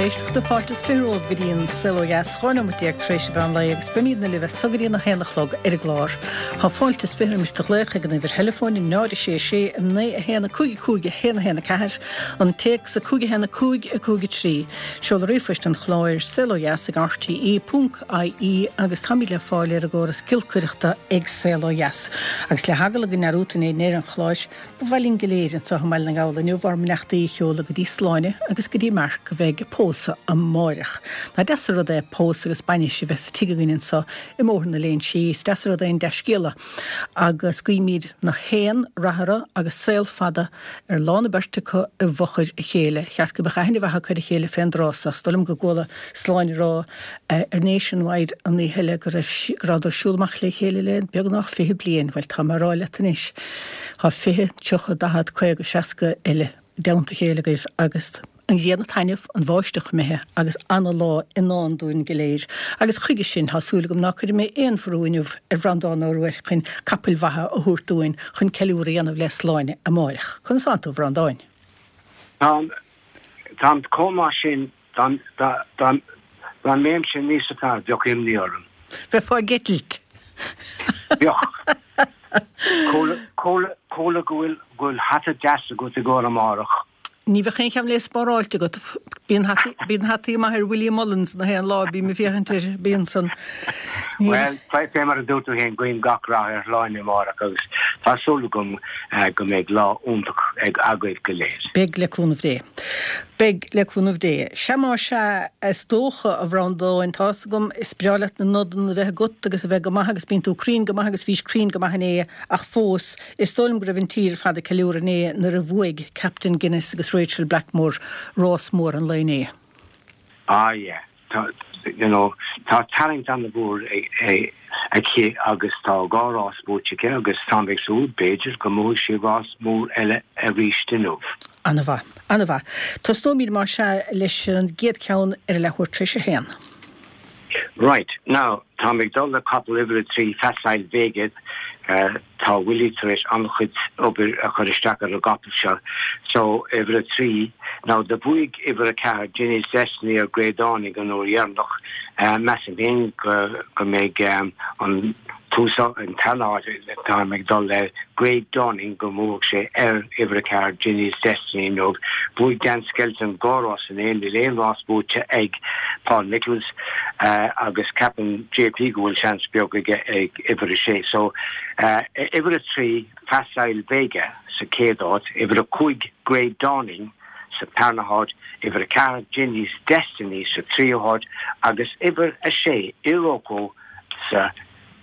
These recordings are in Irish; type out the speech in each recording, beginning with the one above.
éisteachta, fáilte is 20 romhaibh go dtí an Saol Ó Dheas, 12 nóimeat tar éis an mheán lae agus beimidne libh as so go dtí an 1 a chlog ar an gclár. Tá fáilte is 20 roimis do ghlaoch ag an uimhir theileafóin 0 6 6 9 1 5 5 1 1 4, an téacs 5 1 5 5 3, seoladh ríomhphoist an chláir, saolodheas ag rte ponc ie agus táimid le fáil ar an gcóras giolcaireachta ag Saol Ó Dheas. Agus le heagla go ndearúdfainn é i ndeireadh an chláir, Ba mhaith linn go léir anseo i mBaile na nGall inniu ár mbeannachtaí a sheoladh go dtí Sláine agus go dtí Mark a bheidh ag pósadh amáireach. Nach deas an rud é pósadh agus bainis a bheith sa tigh againn anseo i mBóthar na Léinsí. Is deas an rud é an dea-scéala agus guímid na haon rath orthu agus saol fada ar lán an beirt acu i bhfochair a chéile. Cheart go mbeadh aithne mhaith acu ar a chéile fén dtráth so. Is dóigh liom go gcuala Sláine ag rá ar Nationwide an oíche eile go raibh go rabhadar ag siúl amach le chéile le beagnach 20 bliain. Bhuel, tá mé a rá leat anois, tá 20, 30, 40, 50, 60 eile i dteannta a chéile agaibh agus an ghrian ag taitneamh, an bháisteach imithe agus ana-lá i ndán dúinn go léir. Agus chuige sin, tá súil agam ná cuirfidh mé aon bhrú inniu ar Bhreandán Ó Ruairc chun capaill mhaithe a thabhairt dúinn chun ceiliúradh a dhéanamh le Sláine amáireach. Conas tánn tú, a Bhreandáin? Táim, táim chomh maith sin Dá mbeinnse níosa fearr bheadh imní orm. Bheifeá ag eitilt. Bheadh. Chuala go bhfuil hata deas agat i gcomhair amárach. Ní bheadh aon cheann le spáráilt agat. Bíonn hataí maith ar Willie Mullins na haon lá a bím ag féachaint air. Bíonn san. Bhuel, fé mar a dúirt tú féin, guím gach rath ar Shláine amárach agus tá súil agam go mbeidh lá iontach agaibh go léir. Beidh, le cúnamh Dé. Beidh, le cúnamh Dé. Sea más ea, is dócha, a Bhreandáin, tá's agam, is breá leat na nodanna a bheith agat agus a bheith go maith agus bíonn tú cruinn go maith agus bhís cruinn go maith inné ach fós, is dóigh liom go raibh an tír ar fad ag ceiliúradh inné nuair a bhuaigh Captain Guinness agus Rachael Blackmore rás mór an lae inné. Ah yeah. Tá, you know, tá tarraingt an-mhór aici agus tá dhá rás buaite aici agus táim ag súil, b'fhéidir, go mbuafaidh sí rás mór eile arís inniu. An-mhaith. An-mhaith. Tosnóimid más ea leis an gcéad cheann ar a leathuair tar éis a haon. Right. Now, táim ag dul le capall uimhir a trí, Facile Vega. Tá Willie tar éis an-chuid obair a chur isteach ar an gcapall seo. So, uimhir a trí. Now, do bhuaigh uimhir a ceathair, Ginny's Destiny ar Grey Dawning an uair dheireanach. Measaim féin go mbeidh an tús, an tarna háit, táim ag dul le Grey Dawning go mbuafaidh sé ar uimhir a ceathair, Ginny's Destiny inniu. Bhuaigh Dan Skelton dhá rás inné, níl aon rás buaite ag Paul Nicholls agus ceapann JP go bhfuil seans beag aige ag uimhir a sé. So, uimhir a trí, Facile Vega sa chéad áit, uimhir a cúig, Grey Dawning sa tarna háit, uimhir a ceathair, Ginny's Destiny sa tríú háit agus uimhir a sé, Iroko sa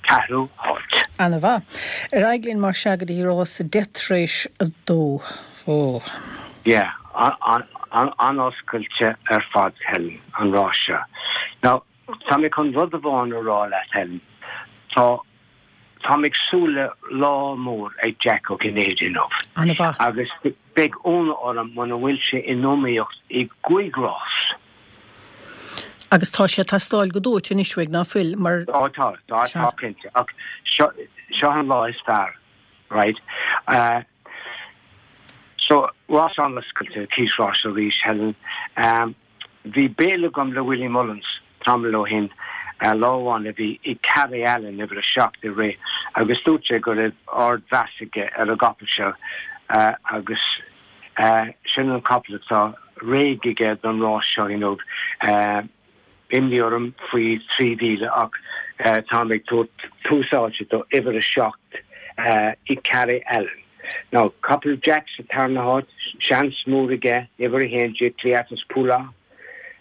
ceathrú háit. Ana-mhaith. Ar aghaidh linn más ea go dtí rás 10 tar éis a dó. Ó. Yeah, an-oscailte ar fad, Helen, an rás seo. Now, tá mé chun rud amháin a rá leat, Helen. Tá, táim ag súil le lá mór ag Jack Ó Cinnéide inniu. Ana-mhaith. Agus beidh ionadh orm muna bhfuil sé in iomaíocht i gcúig rás. Agus tá sé ag teastáil go dóite anois uaidh, ná fuil, mar. Ó tá, tá, tá cinnte. Ach seo, seo an lá is fearr, right? So, rás an-oscailte, cíos ráis arís, Helen. Bhí béile agam le Willie Mullins tamall ó shin, lá amháin a bhí Ikare Allen, uimhir a seacht, ag rith agus dúirt sé go raibh ardmheas aige ar an gcapall seo agus Sin an capall atá réidh aige don rás seo inniu. Imní orm faoi 3,000 ach táim ag tabhairt tús áite do uimhir a 7, Ikare Allen. Now, capall Jack sa tarna háit, seans mór aige, uimhir 11, Cleatus Poolaw,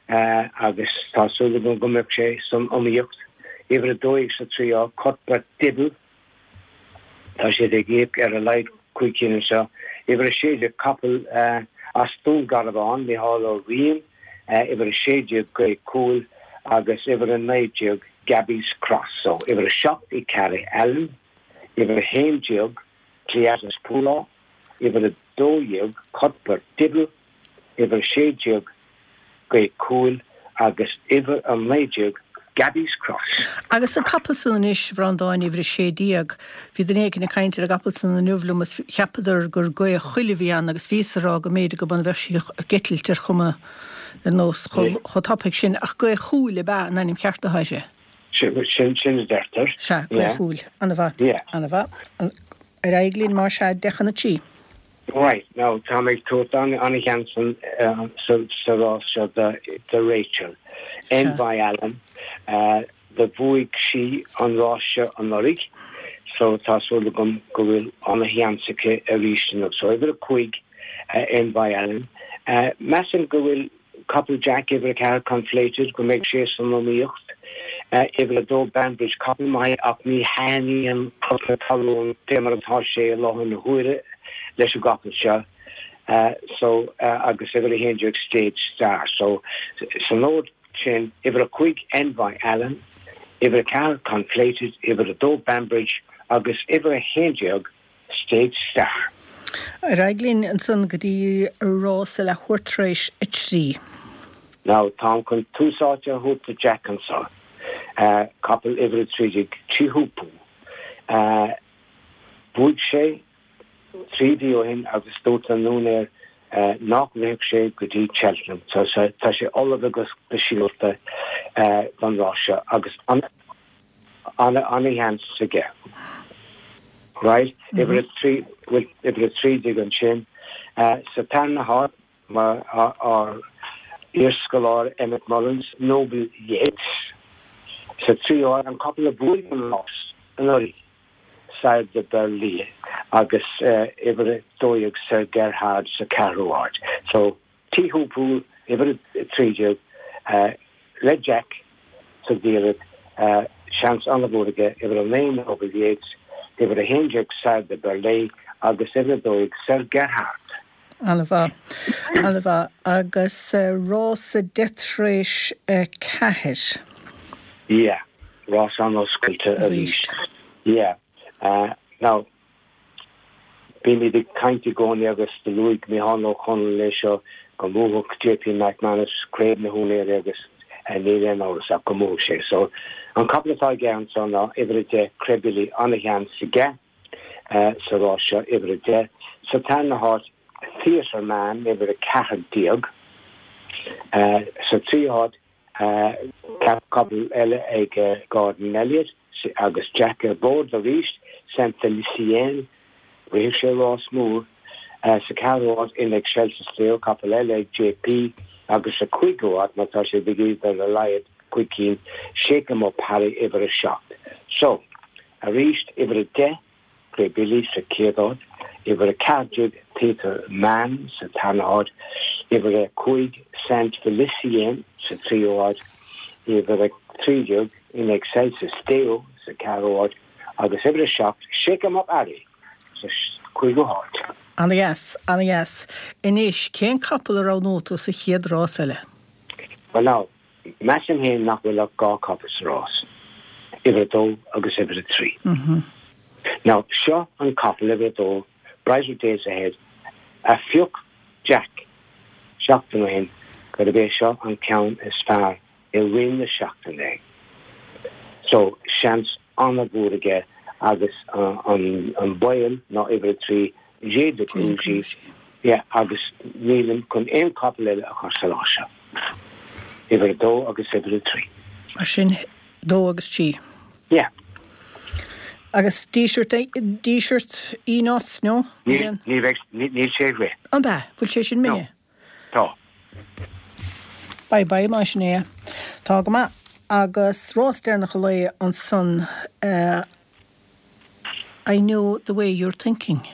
agus tá súil agam go mbeidh sé san iomaíocht. Uimhir 12 sa tríú háit, Cuthbert Dibble. Tá siad ag íoc ar a laghad 5 cinn anseo. Uimhir 16, capall as Dún Garbhán, Micheál Ó Riain, uimhir 16, Gaoth Cúil, agus uimhir 19, Gabby's Cross. So, uimhir 7, Ikare Allen, uimhir 11, Cleatus Poolaw, uimhir 12, Cuthbert Dibble, uimhir 16, Gaoth Cúil, agus uimhir 19, Gabby's Cross. Agus an capall san anois, a Bhreandáin, uimhir 16, bhí duine éicint ag caint ar an gcapall san inniu liom is cheapadar gur gaoth choille a bhí ann agus bhíos a rá go mb'fhéidir go mba bheadh sí ag eitilt ar chuma ar nós chomh tapaidh sin ach gaoth chúil ab ea an ainm cheart atá uirthi. Sin a deirtear. Sea, gaoth chúil. Ana-mhaith. Ana-mhaith. Ar aghaidh linn más ea, 9:10 chun a 3. Right, now tá mé ag tabhairt an-sheans sa rás seo do Rachel. Envoi Allen, do bhuaigh sí an rás seo anuraidh so tá súil agam go bhfuil an-sheans aici arís inniu. So uimhir a 5, Envoi Allen. Measaim go bhfuil Capall Jack, uimhir 4, Conflated, go mbeidh sé san iomaíocht. Uimhir 2, Banbridge, capall maith ach ní thaitníonn crot na talún fé mar atá sé i láthair na huaire leis an gcapall seo. So, agus uimhir 11, Stage Star. So, san ord sin, uimhir 5, Envoi Allen, uimhir 4, Conflated, uimhir 2, Banbridge, agus uimhir 11, Stage Star. Ar aghaidh linn ansan go dtí rás a leathuair tar éis a 3. Now, táim chun tús áite a thabhairt do Jack anso, capall uimhir 13, Teahupoo. Bhuaigh sé 3 mhí ó shin agus dúirt an úinéir nach rithfeadh sé go dtí Cheltenham. So tá sé ullamh go speisialta don rás seo agus an. Ana-sheans aige. Right, uimhir 3, bhuel, uimhir 13 ansin. Sa tarna háit, ár iarscoláire Emmet Mullins, Noble Yeats. Sa tríú háit, an capall a bhuaigh an rás anuraidh, Sire De Berlais, agus uimhir 12, Sir Gerhard sa ceathrú háit. So, Teahupoo, uimhir 13, le Jack sa diallait, seans an-mhór aige, uimhir 9 Noble Yeats, uimhir 11 Sire De Berlais agus uimhir 12 Sir Gerhard. An-mhaith. An-mhaith. Agus rás a 4 tar éis 4. Yeah. Rás an-oscailte arís. Yeah. Now, Bímid ag caint i gcónaí agus do luaigh Micheál Ó Conaill é seo go mbuafadh JP McManus Craobh na hÚinéirí agus níl aon amhras ach go mbuafadh sé. So an capall atá aige anso ná uimhir 10 Crebilly ana-sheans aige sa rás seo, uimhir 10. Sa tarna háit Theatre Man uimhir 14. Sa tríú háit Capall eile ag Gordon Elliott agus Jack ar bord arís, Saint Felicien, rithfidh sé rás mór. Sa ceathrú háit, In Excelsis Deo, capall eile ag JP agus sa cúigiú háit, má tá sé ag iarraidh ar a laghad cúig cinn, Shake 'Em Up Harry, uimhir 7. So, arís, uimhir 10, Crebilly sa chéad áit, uimhir 14 Theatre Man sa tarna háit, uimhir 5 Saint Felicien sa tríú háit, uimhir 13 In Excelsis Deo sa ceathrú háit agus uimhir 7 Shake 'Em Up Harry sa cúigiú háit. Ana-dheas, ana-dheas. Anois, cén capall a roghnóidh tú sa chéad rás eile? Well now, Measaim féin nach bhfuil ach 2 capall sa rás, uimhir 2 agus uimhir 3. Now, seo an capall, uimhir 2, Brighter Days Ahead, a phioc Jack seachtain ó shin gurb é seo an ceann is fearr i rith na seachtaine é. So, seans an-mhór aige agus an baol ná uimhir 3, Jay de Crugy, yeah, agus nílim chun aon chapall eile a chur sa rás seo. Uimhir 2 agus uimhir 3. Mar sin, 2 agus 3. Yeah. Agus Díseart, Díseart Enos, no? Níl, ní bheidh, níl sé ag rith. An ea? Bhfuil sé sin imithe? No. Tá. Bye bye mar sin é. Tá go maith. Agus rás deireanach an lae ansan, I know the way you're thinking.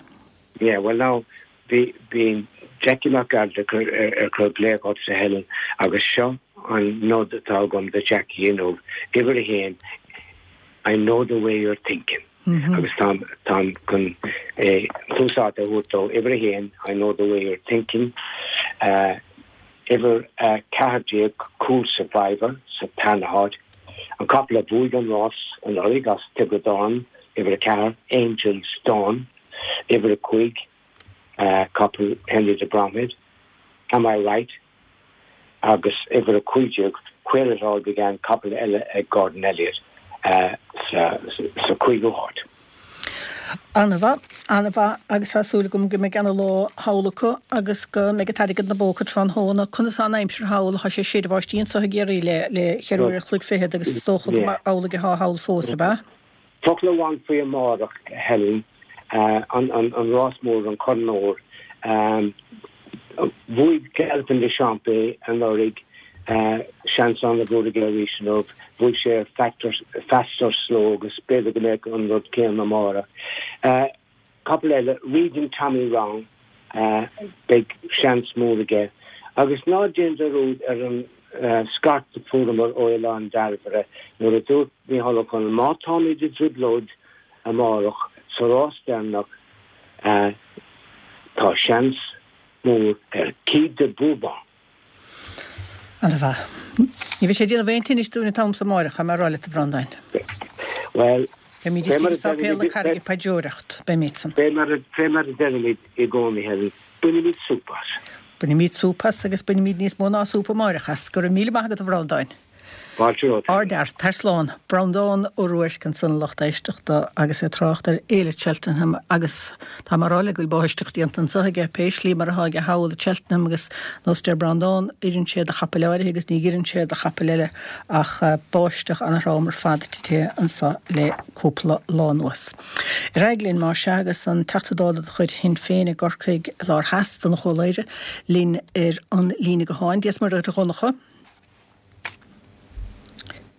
Yeah, well now, bhí, bhí Jackie Mac Gearailt ag cur, ar cur glaoch ortsa Helen agus seo an nod atá agam do Jackie inniu, uimhir a haon, I know the way you're thinking. Agus táim, táim chun tús áite a thabhairt dó, uimhir a haon, I know the way you're thinking, uimhir 14, Cool Survivor sa tarna háit, an capall a bhuaigh an rás anuraidh as Tiobraid Árann, uimhir 4, Angel's Dawn, uimhir 5, capall Henry de Bromhead, Am I Right, agus uimhir 15, Where It All Began, capall eile ag Gordon Elliott, sa chúigiú háit. An-mhaith, an-mhaith agus tá súil agam go mbeidh ana-lá thall acu agus go mbeidh an t-airgead ina bpóca tráthnóna. Conas tá an aimsir thall? Tá sé ag séideadh báistí anseo i gCiarraí le le cheithre uair an chloig fichead agus is dócha go mba amhlaidh atá thall fós, ab ea? Focal amháin faoi amárach, Helen, an rás mór, an Corn Óir. Bhuaigh Galopin Des Champs é anuraidh, seans an-mhór aige arís inniu. Bhuaigh sé ar Fastorslow agus b'fhéidir go mbeadh an rud céanna amárach. Capall eile, Reading Tommy Wrong, beidh seans mór aige. Agus ná déan dearúd ar an scairt a fuaireamar ó Oileán Dairbhre nuair a dúirt Micheál Ó Conaill, má táimid i dtrioblóid amárach sa rás deireanach, tá seans mór ar Quai de Bourbon. Ana-mhaith. Ní bheidh sé ag déanamh aon tinnis dúinn an t-am so amáireach, tá mé a rá leat, a Bhreandáin. Bhuel, Beimid istigh i Sáipéal na Carraige ag paidreoireacht, beimid san. Fé mar a deirimid i gcónaí, Helen, bainimid súp as. Bainimid súp as agus bainimid níos mó ná súp amáireach as. Go raibh míle maith agat, a Bhreandáin. Fáilte romhat. Ardfhear. Tar slán. Breandán Ó Ruairc ansan a lucht éisteachta agus é ag trácht ar Fhéile Cheltenham agus tá mé a rá leat go bhfuil báisteach déanta anseo aige, pé slí mar atá aige thall i Cheltenham agus nós deir Breandán, oireann sé do chapaill áirithe agus ní oireann sé do chapaill eile ach báisteach ana-throm ar fad tite anseo le cúpla lá anuas. Ar aghaidh linn más ea agus an Teachta Dála de chuid Shinn Féin i gCorcaigh Lár Theas, Donncha Ó Laoghaire, linn ar an líne gutháin. Dia 's Muire dhuit a Dhonncha.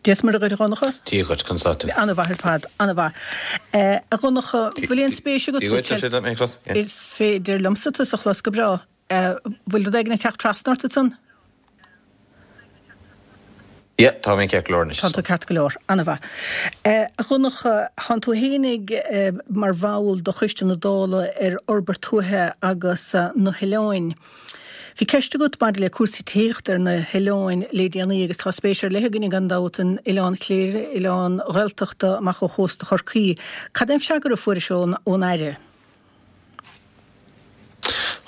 Dia 's Muire dhuit a Dhonncha. Dia dhuit, conas tá tú? Ana-mhaith ar fad, ana-mhaith. A Dhonncha, bhfuil aon spéis agat Dia dhuit, is féidir leat mé a chlos? Is féidir liomsa tusa a chlos go breá. Bhfuil rud éigin ag teacht trasna ort ansan? Yeah, tá mé ceart go leor anois. Tá tú ceart go leor, ana-mhaith. A Dhonncha, thánn tú fhéinig mar bhall de Choiste na Dála ar Fhorbairt Tuaithe agus na hOileáin. Bhí ceist agat maidir le cúrsaí tithíochta ar na hoileáin le déanaí agus tá spéis ar leith againne gan dabht in Oileán Chléire, oileán Ghaeltachta amach ó chósta Chorcaí. Cad é an freagra a fuairis ón Aire?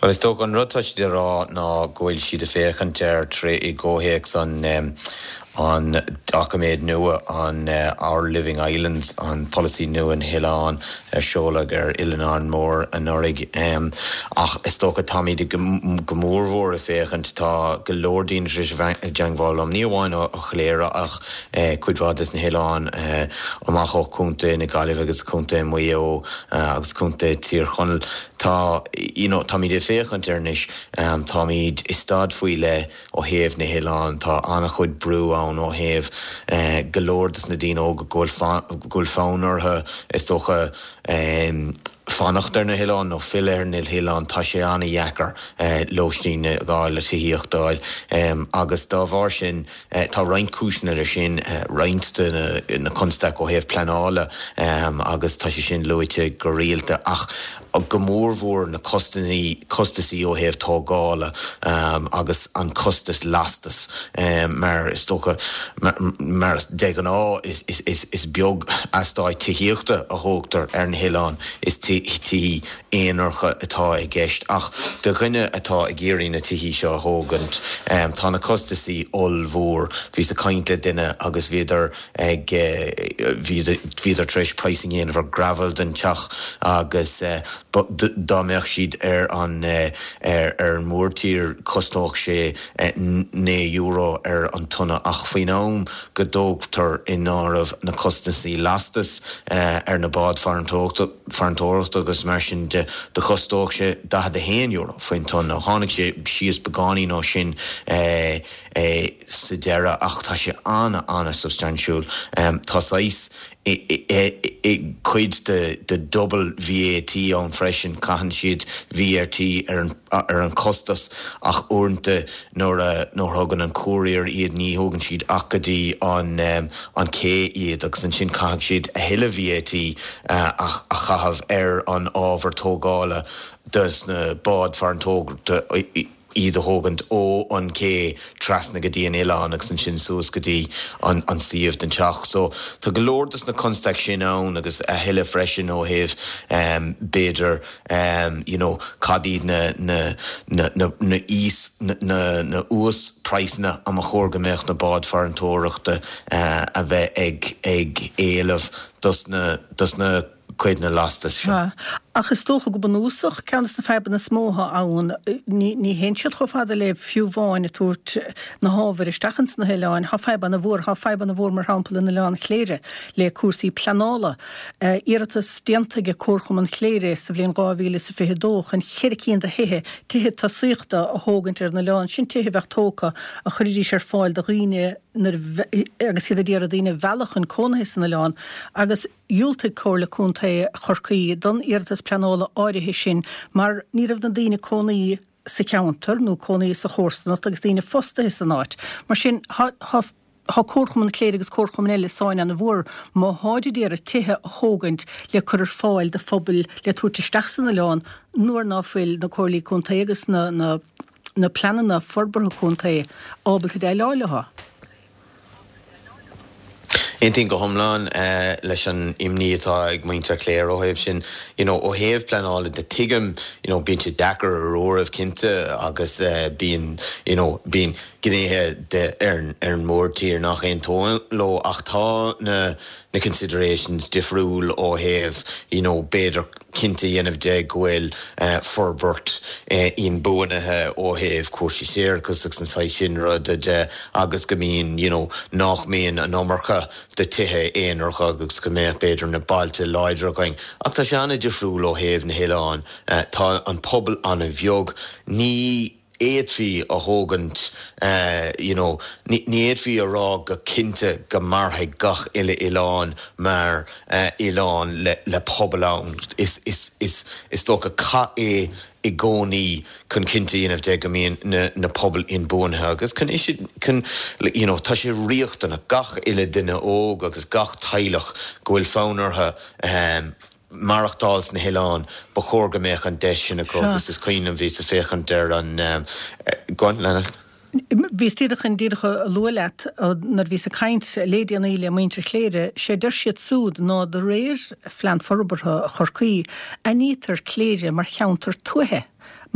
Bhuel, is dócha an rud tá siad ag rá ná go bhfuil siad ag féachaint air tré i gcomhthéacs an an doiciméad nua, an Our Living Islands, an polasaí nua na hoileán a seoladh ar Oileán Árainn Mhór anuraidh. Ach is dócha táimid go mórmhór ag féachaint, tá go leor daoine tar éis a bheith i dteangmháil liom, ní amháin ó Chléire ach cuid mhaith des na hoileáin amach ó Chontae na Gaillimhe agus Contae Mhaigh Eo agus Contae Thír Chonaill. Tá, you know, táimid ag féachaint air anois, táimid i staid faoi leith, Ó thaobh na hoileán, tá an-chuid brú ann ó thaobh go leor des na daoine óga go bhfuil fonn orthu, is dócha, fanacht ar na hoileáin nó filleadh ar na hoileáin. Tá sé an-dheacair lóistín a fháil, tithíocht a fháil agus dá bharr sin, tá roinnt cúiseanna leis sin, roinnt de na constaic ó thaobh pleanála agus tá sé sin luaite go rialta ach go mórmhór na costaisí ó thaobh tógála agus an costas lastais mar is dócha mar de ghnáth is beag eastáit tithíochta a thógtar ar na hoileáin, is tithí aonaracha atá i gceist ach do dhuine atá ag iarraidh na tithí seo a thógaint tá na costaisí ollmhór. Bhíos ag caint le duine agus bhíodar ag, bhíodar tar éis pricing a dhéanamh ar gravel don teach agus dá mbeadh siad ar an, ar an mórtír chosnódh sé €9 ar an tonna ach faoin am go dtógtar in áireamh na costaisí lastais ar na báid farantóireachta agus mar sin de, do chostódh sé €41 faoin tonna. Tháinig sé síos beagáinín ó sin. sa deireadh ach tá sé an-an-substaintiúil. Tá saghas cuid de double VAT ann freisin, caitheann siad VAT ar an chostas ach uaireanta nuair a thugann an courier iad ní thógann siad ach go dtí an an cé iad agus ansin caithfidh siad a thuilleadh VAT a chaitheamh ar an ábhar tógála dos na báid farantóireachta. iad a thógaint ó an cé trasna go dtí an oileán agus ansin suas go dtí an suíomh den teach. So tá go leor dos na constaic sin ann agus a thuilleadh freisin ó thaobh b'fhéidir you know cad iad na na na na na íos na na uas-praghsanna a mba chóir go mbeadh na báid farantóireachta a bheith ag ag éileamh dos na dos na cuid na lastas seo. Sea. Ach is dócha go bunúsach, ceann des na fadhbanna is mó atá ann, ní, ní théann siad chomh fada le fiú amháin ag tabhairt na hábhair isteach ins na hoileáin. Tá fadhb ana-mhór, tá fadhb ana-mhór mar shampla in Oileán Chléire le cúrsaí pleanála. Iarratas déanta ag Comharchumann Chléire sa bhliain 2022 chun cheithre cinn de thithe, tithe tosaíochta a thógaint ar an oileán, sin tithe a bheadh tógtha a chuirfidís ar fáil do dhaoine nuair a, agus iad ag iarraidh daoine a mhealladh chun cónaithe san oileán agus, Dhiúltaigh Comhairle Contae Chorcaí don iarratas pleanála áirithe sin mar ní raibh na daoine cónaí sa cheantar nó cónaí sa chomharsanacht agus daoine fostaithe san áit. Mar sin, tá tá Comharchumann Chléire agus comharchumainn eile i sáinn ana-mhór má tháid ag iarraidh tithe a thógaint le cur ar fáil do phobail le tabhairt isteach san oileán nuair ná fuil na Comhairlí Contae agus na na na pleananna forbartha contae ábalta déileáil leo. Aontaím go hiomlán leis an imní atá ag muintir Chléire ó thaobh sin. You know, ó thaobh pleanála de, tuigim, you know, bíonn sé deacair ar uairibh cinnte agus bíonn, you know, bíonn gnéithe de ar an mórtír nach aontóinn leo ach tá na na considerations difriúil ó thaobh, you know, b'fhéidir cinnte a dhéanamh de go bhfuil forbairt inbhuanaithe ó thaobh cúrsaí séarachais agus an saghas sin ruda de agus go mbíonn, you know, nach mbíonn an iomarca de tithe aonaracha agus go mbeadh b'fhéidir na bailte láidre againn. Ach tá sé an-difriúil ó thaobh na hoileáin. Tá an pobal an-bheag. Ní. fhéadfaí a thógaint you know ní fhéadfaí a rá go cinnte go mairfidh gach uile oileán mar oileán le le pobal ann. Is is is is dócha cath é i gcónaí chun cinnte a dhéanamh de go mbíonn na na pobail inbhuanaithe agus chun chun you know tá sé riachtanach gach uile duine óg agus gach teaghlach go bhfuil fonn orthu maireachtáil sna hoileáin, ba chóir go mbeadh an deis sin acu agus is cuimhin liom bhíos ag féachaint ar an, go on, lean leat. Bhíos díreach chun díreach a lua leat nuair a bhíos ag caint le déanaí le muintir Chléire, sé deir siad súd ná de réir Phlean Forbartha Chorcaí, aithnítear Cléire mar cheantar tuaithe.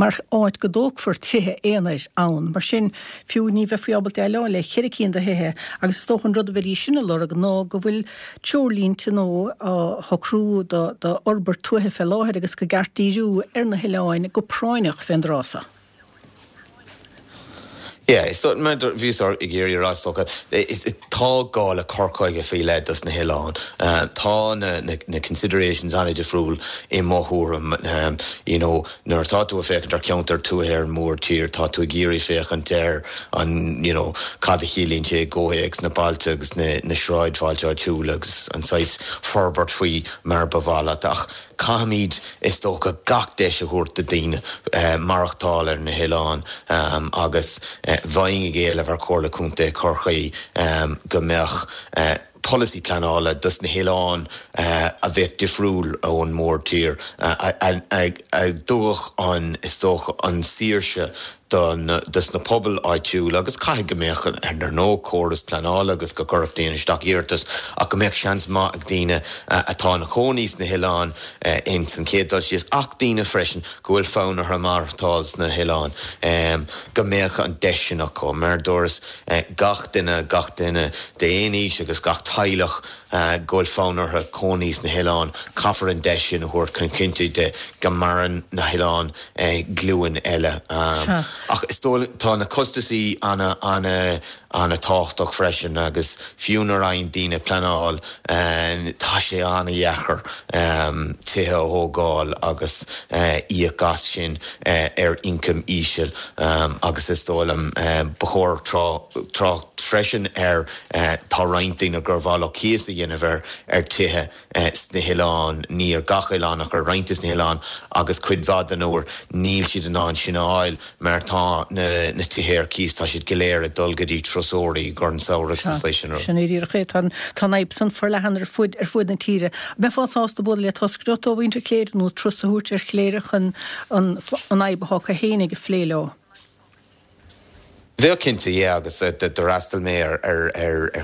mar áit go dtógfar tithe aonair ann. Mar sin, fiú, ní bheifí ábalta déileáil le cheithre cinn de thithe agus is dócha an rud a bheidís sin a lorg ná go bhfuil treoirlínte nó á shocrú do d'fhorbairt tuaithe fé láthair agus go gceart díriú ar na hoileáin go práinneach fén dtráth so. Yeah, is dóigh, mar bhíos ag iarraidh a rá, is dócha, tá gá le cur chuige faoi leith dos na hoileáin. Tá na considerations an-difriúil i mo thuairim. You know, nuair atá tú ag féachaint ar cheantar tuaithe ar an mórtír, tá tú ag iarraidh féachaint ar an, you know, cad a chiallaíonn sé i gcomhthéacs na bailte agus na sráidbhailte áitiúla agus an saghas forbairt faoi mar ba mhaith leat. Ach Caithfimid, is dócha, gach deis a thabhairt do daoine maireachtáil ar na hoileáin agus bheinn ag éileamh ar Chomhairle Contae Chorcaí go mbeadh polasaí pleanála dos na hoileáin a bheadh difriúil ón mórtír, a dtabharfadh an, is dócha, an saoirse dos na pobail áitiúla agus caithfidh go mbeadh, ar ndóigh, córas pleanála agus go gcuirfeadh daoine isteach iarratas ach go mbeadh seans maith ag daoine atá ina chónaí sna hoileáin ins an chéad dul síos ach daoine freisin go bhfuil fonn orthu maireachtáil sna hoileáin go mbeadh an deis sin acu. Mar a dúras, gach duine, gach duine d'aon aois agus gach teaghlach go bhfuil fonn orthu cónaí sna hoileáin, caithfear an deis sin a thabhairt chun cinntiú de go maireann na hoileáin glúin eile. Ach is dóigh, tá na costasaí ana, ana, ana tábhachtach freisin agus fiú nuair a fhaigheann daoine pleanáil, tá sé ana dheacair tithe a thógáil agus íoc as sin ar ioncam íseal agus is dóigh liom ba chóir trácht freisin ar tá roinnt daoine gur mhaith leo cíos a dhéanamh ar ar tithe sna hoileáin, ní ar gach oileán ach ar roinnt des na hoileáin agus cuid mhaith den uair níl siad in ann sin a fháil mar tá na na tithe ar cíos, tá siad go léir ag dul go dtí turasóirí i gcomhair an samhradh agus an saghas sin rud. Sin é díreach é. Tá an tá an fhadhb san forleathan ar fud ar fuaid na tíre. Mbeifeá sásta bualadh le toscaireacht ó mhuintir Chléire nó turas a thabhairt ar Chléire chun an an fhadhb atá acu fhéinig a phlé leo? Bheadh cinnte, yeah, agus d'fhreastail mé ar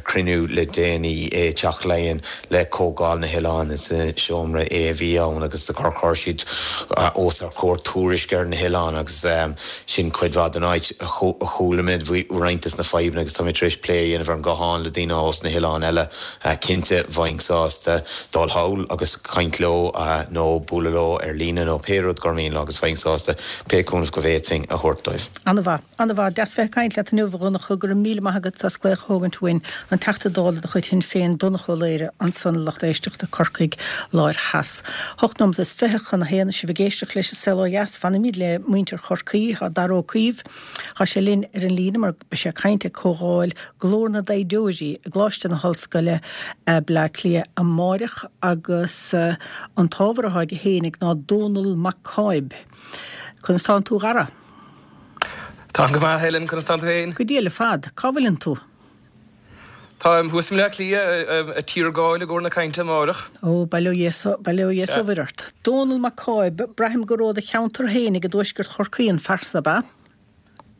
chruinniú le déanaí i Teach Laighean le Comhdháil na hOileán, is i Seomra A a bhí ann agus do chuir siad os ár gcomhair tuairisc ar na hoileáin agus sin cuid mhaith den áit a chuala muid faoi roinnt des na fadhbanna agus tá mé tar éis plé a dhéanamh ar an nguthán le daoine ós na hoileáin eile. Cinnte bheinn sásta dul thall agus caint leo nó bualadh leo ar líne nó pé rud gur mian leo agus bheinn sásta pé cúnamh go bhféadfainn a thabhairt dóibh. An-mhaith. An-mhaith. Deas bheith ag caint leat inniu, a Dhonncha. Go raibh míle maith agat as glaoch a thógaint uainn. An Teachta Dála de chuid Shinn Féin, Donncha Ó Laoghaire, ansan, a lucht éisteachta, Corcaigh Láir Theas. Hocht nóimeat is 20 chun a haon, is sibh ag éisteacht leis an Saol Ó Dheas. Fanaimíd le muintir Chorcaí. Tá Dara Ó Caoimh, tá sé linn ar an líne mar beidh sé ag caint ag Comhdháil Glór na dTaighdeoirí i gColáiste na hOllscoile, Bleá Cliath amáireach agus an t-ábhar atá aige fhéinig ná Dónall Mac Cáib. Conas tánn tú, a Dhara? Táim go maith, a Helen, conas tánn tú féin? Go diail ar fad. Cá bhfuileann tú? Táim thuas i mBleá Cliath, ag tiargáil i gcomhair na cainte amáireach. Ó, bail ó Dhia bail ó Dhia 's ó Mhuire ort. Dónall Mac Cáib, braithim gur ó do cheantar fhéinig i dtuaisceart Chorcaí an fear so, ab ea?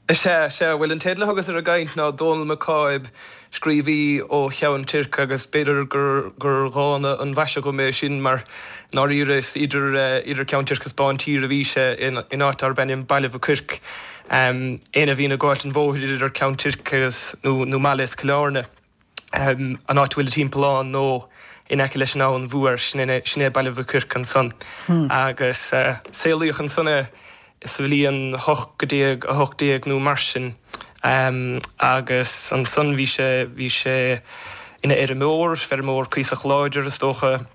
Is ea, sea. Bhuel, an teideal a thugas ar an gcaint ná Dónall Mac Cáib, scríobhaí ó Cheann Toirc agus b'fhéidir gur gur dhána an mhaise dhom é sin mar i ndáiríre is idir idir Ceann Toirc agus Bántír a bhí sé in in áit darb ainm Baile Mhic Oirc. Éinne a bhíonn ag gabháilt an bhóthair idir Ceann Toirc agus nó nó Mala is Cill Airne, an áit a bhfuil an timpeallán nó in aice leis an Abhainn Mhór, sin é sin é Baile Mhic Oirc ansan. Agus saolaíodh ansan é sa bhliain 1818 nó mar sin agus ansan bhí sé, bhí sé ina fheirmeoir, feirmeoir cuíosach láidir is dócha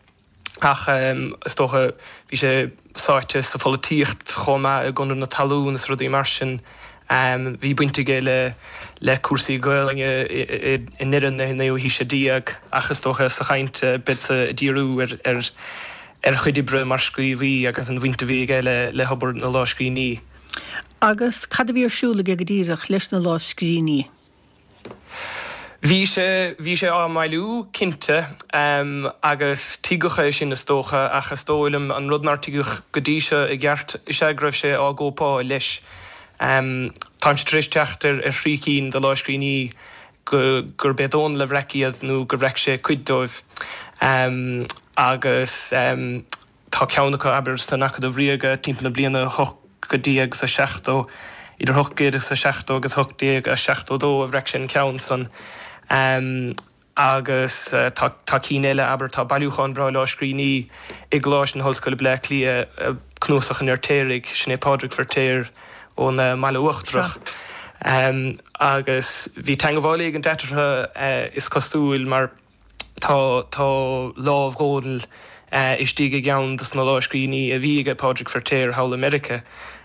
ach is dócha bhí sé sáite sa pholaitíocht chomh maith i gConradh na Talún is rudaí mar sin. Bhí baint aige le le cúrsaí Gaelainne i ndeireadh na naoú haoise déag ach is dócha sa chaint beadsa ag díriú ar ar ar a chuid oibre mar scríobhaí agus an bhaint a bhí aige le hobair na lámhscríbhinní. Agus cad a bhí ar siúl aige go díreach leis na lámhscríbhinní? Bhí sé, bhí sé á mbailiú, cinnte, agus tuigeadh é sin is dócha, ach is dóigh liom an rud nár tuigeadh go dtí seo i gceart is ea go raibh sé á gcóipeáil leis. Táimse tar éis teacht ar thrí cinn de lámhscríbhinní go, gurb é Dónall a bhreac iad nó gur bhreac sé cuid dóibh. Agus tá ceann acu, abair, san Acadamh Ríoga timpeall na bliana 1870, idir 1870 agus 1872 a bhreac sé an ceann san. Agus tá, tá cinn eile, abair, tá bailiúchán breá lámhscríbhinní i gColáiste na hOllscoile Bleá Cliath, Cnuasach an Fheirtéaraigh, sin é Pádraig Feirtéar ón mBaile Uachtarach. Agus bhí teangabháil éigint eatarthu, is cosúil, mar tá tá lámh Dhónaill istigh i gceann dos na lámhscríbhinní a bhí aige Pádraig Feirtéar thall i Meiriceá.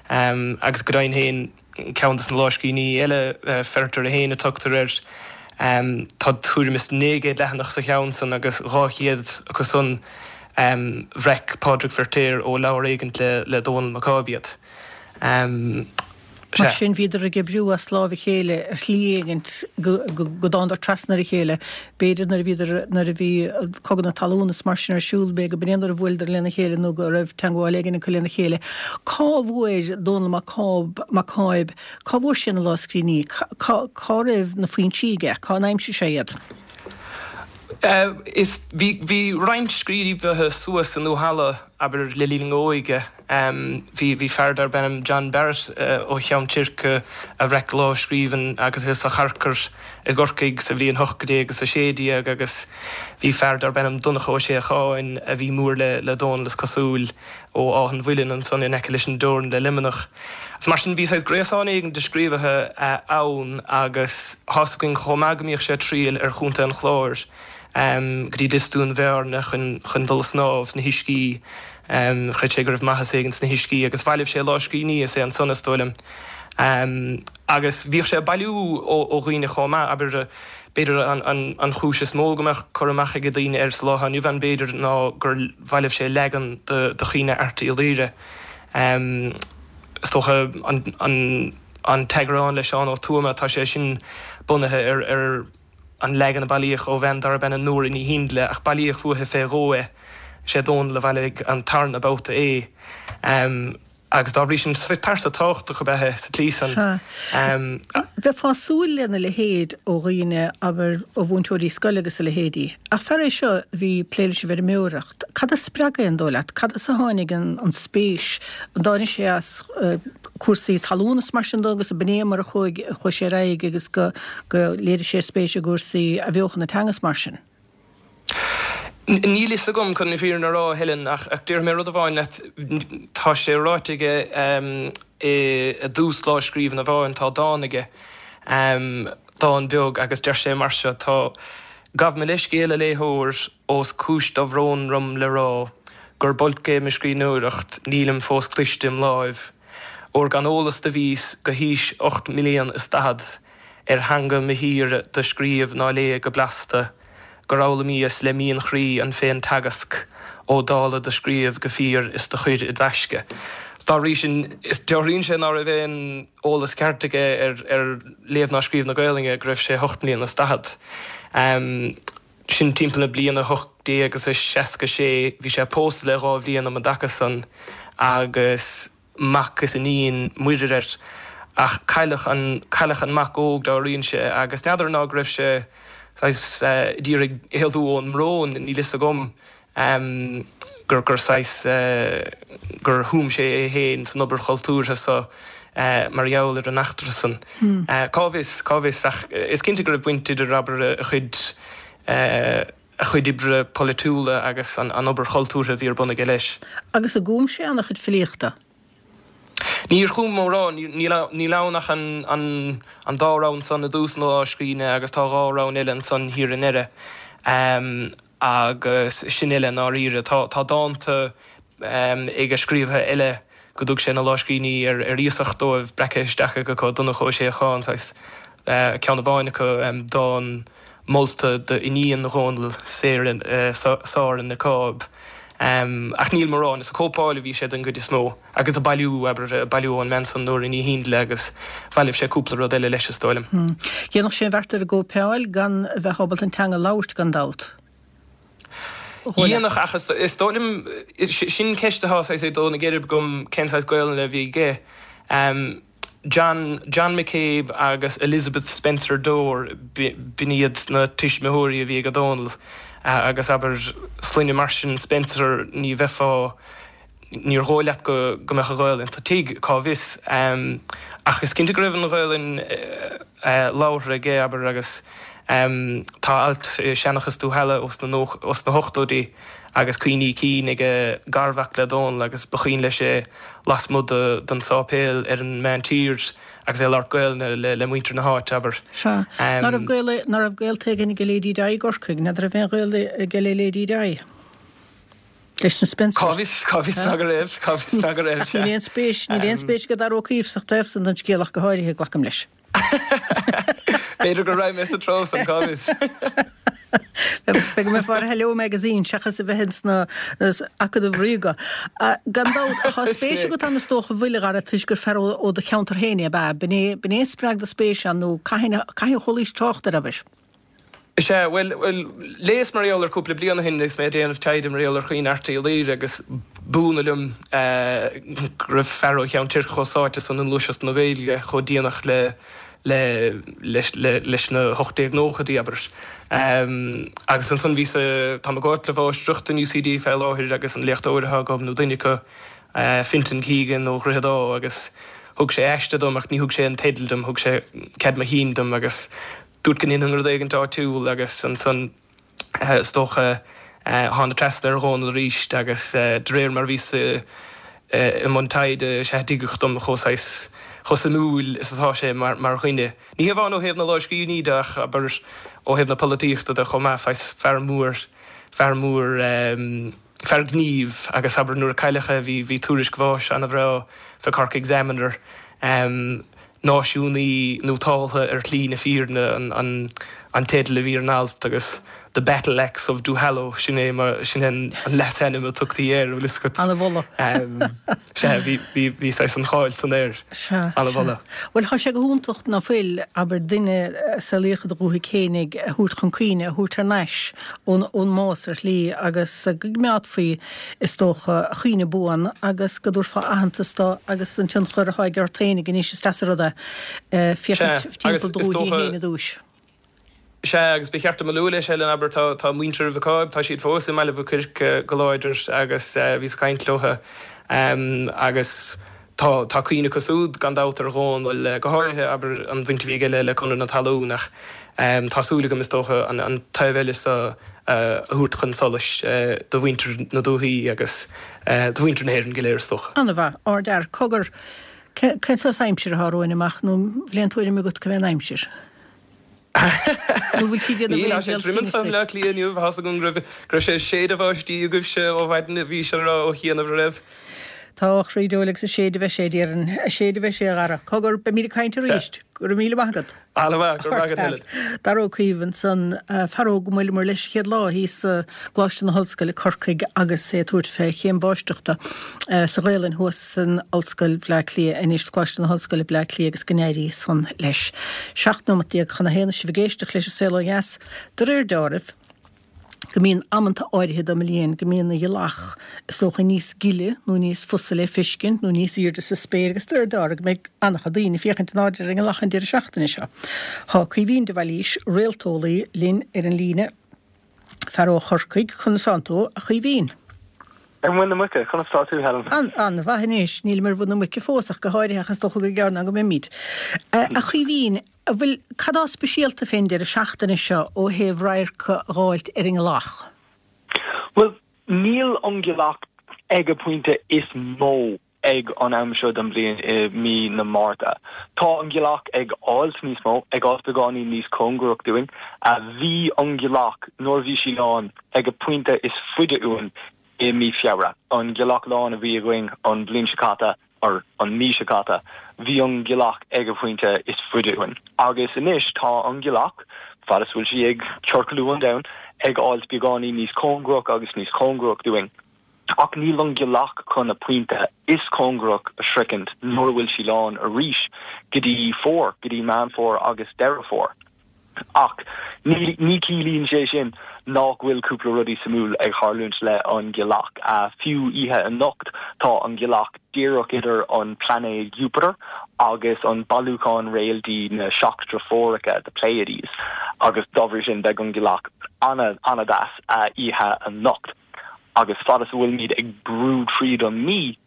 Agus go deimhin féin, ceann dos na lámhscríbhinní eile, Ferriter 1 a tugtar air, tá tuairim is 900 leathanach sa cheann san agus 200 acu san bhreac Pádraig Feirtéar ó leabhar éigint le Dónall Mac Cáib iad. Mar sin, bhíodar ag oibriú as láimh a chéile ar shlí éigint go dtánadar trasna ar a chéile. B'fhéidir nuair a bhíodar, nuair a bhí Cogadh na Talún is mar sin ar siúl, b'fhéidir go b'in é nuair a bhuaileadar lena chéile nó go raibh teangmháil éigin acu lena chéile. Cá bhfuair Dónall Mac Cáib, Mac Cáib, cá bhfuair sé na lámhscríbhinní? Cá, cá raibh na foinsí aige? Cá n-aimsigh sé iad? Is, bhí, bhí roinnt scríobhaithe suas i nDúthalla, abair, le linn a n-óige. Bhí, bhí fear darb ainm John Barrett ó Cheann Toirc a bhreac lámhscríbhinn agus é sa charcair i gCorcaigh sa bhliain 1816 agus bhí fear darb ainm Donncha Ó Séacháin a bhí mór le, le Dónall is cosúil, ó Áth an Mhuilinn ansan in aice leis an dteorainn le Luimneach. Agus mar sin bhí saghas gréasán éigin de scríobhaithe ann agus tá's againn chomh maith go mbíodh sé ag triall ar Chontae an Chláir go dtí Lios Dúin Bhearna chun, chun dul a snámh sna huiscí. Chreid sé go raibh maitheas éigin sna huiscí agus bhailigh sé lámhscríbhinní is é ansan, is dóigh liom. Agus bhíodh sé ag bailiú ó dhaoine chomh maith, abair, b'fhéidir an chúis is mó go mbeadh cur amach ag daoine air sa lá atá inniu ann, b'fhéidir, ná gur bhailigh sé leagan de Chaoineadh Airt Uí Laoghaire. Is dócha an t-eagrán le Seán Ó Tuama, tá sé sin bunaithe ar an leagan a bailíodh ó bhean darb ainm Nóra Ní Shindle, ach bailíodh uaithi fé dhó é. Sé Dónall a bhailigh an tarna babhta é. Agus dá bhrí sin, pearsa tábhachtach ab ea é sa tslí san. Sea. Bheifeá ag súil lena leithéid ó dhaoine, abair, ó mhúinteoirí scoile agus a leithéidí. Ach fear é seo a bhí ag plé leis an bhfeirmeoireacht. Cad a spreag é, an dóigh leat? Cad as a tháinig an spéis? An dtáinig sé as cúrsaí talún is mar sin de agus ab in é mar a chuaigh sé ar aghaidh agus go léirigh sé spéis i gcúrsaí athbheochan na teanga is mar sin? Níl fhios agam chun na fírinne a rá, a Helen, ach déarfaidh mé rud amháin leat, tá sé ráite aige i dtús lámhscríbhinn amháin, tá dán aige, dán beag, agus deir sé mar seo, tá, Gabh mo leithscéal, a léitheoir, ós cúis dobhróin dom le rá, gurb olc é mo scríbhneoireacht, nílim fós cliste im láimh, óir gan eolas do bhíos go haois 8 mblian is 40. ar theanga mo thíre do scríobh ná léigh go blasta, gur fhoghlaimíos le mian chroí an féin-teagasc Ó Dálaigh do scríobh go fíor is do chuir i dtaisce. 'S dá bhrí sin, is dealraíonn sé ná raibh aon eolas ceart aige ar ar léamh ná scríobh na Gaelainne go raibh sé hocht mbliana is daichead. Sin timpeall na bliana 1866. Bhí sé pósta le dhá bhliain um an dtaca san agus. mac is iníon muirir air, ach cailleadh an, cailleadh an mac óg dealraíonn sé, agus n'fheadar ná go raibh sé saghas d'iarraidh éalú ón mbrón, níl fhios agam, gur, gur saghas, gur thum sé é féin san obair chultúrtha so mar gheall ar an eachtra san. Cá bhfios, cá bhfios, ach is cinnte go raibh baint idir, abair, a chuid, a chuid oibre polaitiúla agus an obair chultúrtha a bhí ar bun aige leis. Agus an gcum sé an-chuid filíochta? Níor chum, mo rá. Níl ann ach an dá rann san i dtús na lámhscríbhinne agus tá dhá rann eile ansan thiar i ndeireadh. Agus sin uile i ndáiríre. Tá dánta aige scríobhtha eile go dtug sé na lámhscríbhinní ar iasacht dóibh, breactha isteach aige acu, Donncha Ó Séacháin, saghas, ceann amháin acu, dán molta d'iníon Dhónaill, Sara Nic Cáib. Ach níl mórán, is ag cóipeáil a bhí sé den gcuid is mó, agus ag bailiú, abair, ag bailiú ón mbean san, Nóra Ní Shíndle, agus bhailigh sé cúpla rud eile leis, is dóigh liom. Dhéanfadh sé an bheart ar an gcóipeáil gan a bheith ábalta an teanga a labhairt, gan dabht. Dhéanfadh, ach is dóigh liom, sin ceist atá saghas ag dó na geirbe agam, cén saghas Gaolainne a bhí aige. John, John McCabe agus Elizabeth Spencer Dore, b'in iad na tuismitheoirí a bhí ag Dónall agus abair, sloinne mar sin, Spencer, ní bheifeá, níor dhóigh leat go mbeadh an Ghaolainn sa tigh, cá bhfios. Ach is cinnte go raibh an Ghaolainn labhartha aige, abair, agus tá alt i Seanchas Dúshalla ós na hochtóidí agus cuimhní cinn ag garmhac le Dónall agus ba chuimhin leis é lasmuigh den sáipéal ar an Meántír agus é ag labhairt Gaolainne le muintir na háite, abair. Sea. Ná raibh gaol, ná raibh gaolta éigin aige Lady Di i gCorcaigh? N'fheadar raibh aon ghaol aige le Lady Di? Leis na Spencers. Cá bhfios, cá bhfios ná go raibh, cá bhfios ná go raibh, sea. Níl aon spéis, níl aon spéis ag Dara Ó Caoimh sa taobh san den scéal ach go háirithe, glacaim leis. B'fhéidir go raibh mé sa treo san, cá bhfios. B'fhéidir go mbeifeá ar Hello Magazine seachas a bheith ins na Acadamh Ríoga. Gan dabht, tá spéis agat ann is dócha a bhfuil, a Dhara, toisc gur fear ó do cheantar féin é, ab ea? B'in é, b'in é a spreag do spéis ann nó cathain, cathain a chualaís trácht air, abair? Is ea, bhuel, bhuel, léas mar gheall air cúpla bliain ó shin agus mé ag déanamh taighde mar gheall ar Chaoin Airt Uí Laoire agus b'ionadh liom go raibh fear ó Cheann Toirc chomh sáite san i ngluaiseacht na Gaeilge chomh déanach le, le, leis, le, leis na 1890idí, abair. Agus ansan bhíos, táim ag cóipeáil le mháistreacht in UCD fé láthair agus an léachtóir atá agam, nó duine acu, Fintan Keegan ó Dhroichead Átha agus thug sé aiste dom ach ní thug sé an teideal dom, thug sé cead mo chinn dom agus Dúirt go ndéanfainn rud éigint áitiúil agus ansan is dócha thána trasna ar Dhónall arís agus de réir mar a bhíos i mbun taighde is ea a tuigeadh dom chomh saghas, chomh suimiúil is atá sé mar dhuine. Ní hamháin ó thaobh na lámhscríbhinní de ach abair ó thaobh na polaitíochta de chomh maith, saghas fear mór, fear mór, fear gnímh agus abair nuair a cailleadh é bhí, bhí tuairisc bháis ana-bhreá sa Cork Examiner. Náisiúnaí nótáltha ar shlí na fírinne an. an teideal a bhí ar an alt agus The Battle Axe of Duhallow, sin é mar, sin é an leasainm a tugtaí air, bhfuil fhios agat. Ana-mholadh. Sea, bhí, bhí, bhí saghas an cháil san air. Sea, Ana-mholadh. sea. Bhuel, tá sé go hiontach ná fuil, abair, duine a saolaíodh i do dhúthaigh fhéinig a thabhairt chun cuimhne, a thabhairt thar n-ais ón, ón mbás ar shlí agus go gcoimeádfaí, is dócha, a chuimhne buan agus go dtabharfá aitheantas dó agus an tionchar atá aige ort fhéinig anois, is deas an rud é féachaint Sea, timpeall do agus is dhúthaí dócha, féin i dtúis. Sea, agus ba cheart dom a lua leis, Helen, abair, tá, tá muintir Mhic Ádhaimh, tá siad fós i mBaile Mhic Oirc go láidir agus bhíos ag caint leo agus tá, tá cuimhne acu siúd gan dabht ar Dhónal, go háirithe, abair, an bhaint a bhí aige le, le Conradh na Talún ach tá súil agam, is dócha, an, an taobh eile so a thabhairt chun solais do mhuintir na dúthaí agus do mhuintir na hÉireann go léir, is dócha. An-mhaith. Ardfhear. Cogar, cén saghas aimsire atá romhainn amach nó an bhfuil aon tuairim agat go mbeidh an aimsir? Nó bhfuil sí ag déanamh Níl, tá sé tirim anseo i mBleá Cliath inniu, tá's agam go raibh, go raibh sé ag séideadh báistí agaibhse ó mhaidin, bhí sé a rá ó chianaibh an raibh? Tá a chroí deoil agus ag séideadh a bheidh sé, a déarfainn. Ag séideadh a bheidh sé, a Dhara. Cogar, beimid ag caint arís. Go raibh míle maith agat. An-mhaith, go raibh maith agat, Helen. Dara Ó Caoimh ansan, fear óg a mbuaileamar leis an chéad lá thíos i gColáiste na hOllscoile, Corcaigh, agus é ag tabhairt fé chéim mháistreachta sa Ghaelainn thuas san Ollscoil Bhleá Cliath anois, Coláiste na hOllscoile, Bleá Cliath, agus go n-éirí san leis. 17 nóimeat chun a haon is sibh ag éisteacht leis an Saol Ó Dheas. De réir deáraimh, go mbíonn amanta áirithe den mbliain go mbíonn an ghealach is dócha níos gile nó níos fusa le feiscint nó níos aoirde sa spéir agus de réir deáraimh go mbeidh an-chuid daoine ag féachaint in airde ar an ngealach an deireadh seachtaine seo. Tá Caoimhín de Bhailís, réalteolaí, linn ar an líne, fear ó Chorcaigh. Conas tánn tú, a Chaoimhín? Ar mhuin na muice, conas tá tú, Helen? An-mhaith anois. Nílim ar mhuin na muice fós ach go háirithe ach is dócha gur gearr ná go mbeimid. A Chaoimhín, an bhfuil, cad tá speisialta fén deireadh seachtaine seo ó thaobh radharc a dh'fháilt ar an ngealach? Bhuel, níl an ghealach ag a pointe is mó ag an am seo den bhliain i mí na Márta. Tá an ghealach ag fháilt níos mó, ag fháilt beagáinín níos cóngarach dúinn. Bhí an ghealach, nuair a bhí sí lán, ag a pointe is faide uainn i mí Feabhra. An ghealach lán a bhí againn an bhliain seo caite, or an mí seo caite, bhí an ghealach ag a pointe is faide uainn. Agus anois tá an ghealach, fad is bhfuil sí ag ciorclú an domhain, ag fháilt beagáinín níos cóngarach agus níos cóngarach dúinn. Ach níl an ghealach chun a pointe is cóngarach a shroichint nuair a bhfuil sí lán arís go dtí fómhar, go dtí Meán Fómhair agus Deireadh Fómhair. Ach ní ní ciallaíonn sé sin nach bhfuil cúpla rudaí suimiúil ag tharlúint le an ghealach. Fiú oíche anocht tá an ghealach díreach idir an plainéad Jupiter agus an bailiúchán réaltaí na Seacht Deirfiúracha, the Pleiades, agus dá bhrí sin beidh an ghealach ana ana-dheas oíche anocht. Agus fad is a bhfuilimid ag brú tríd an mí,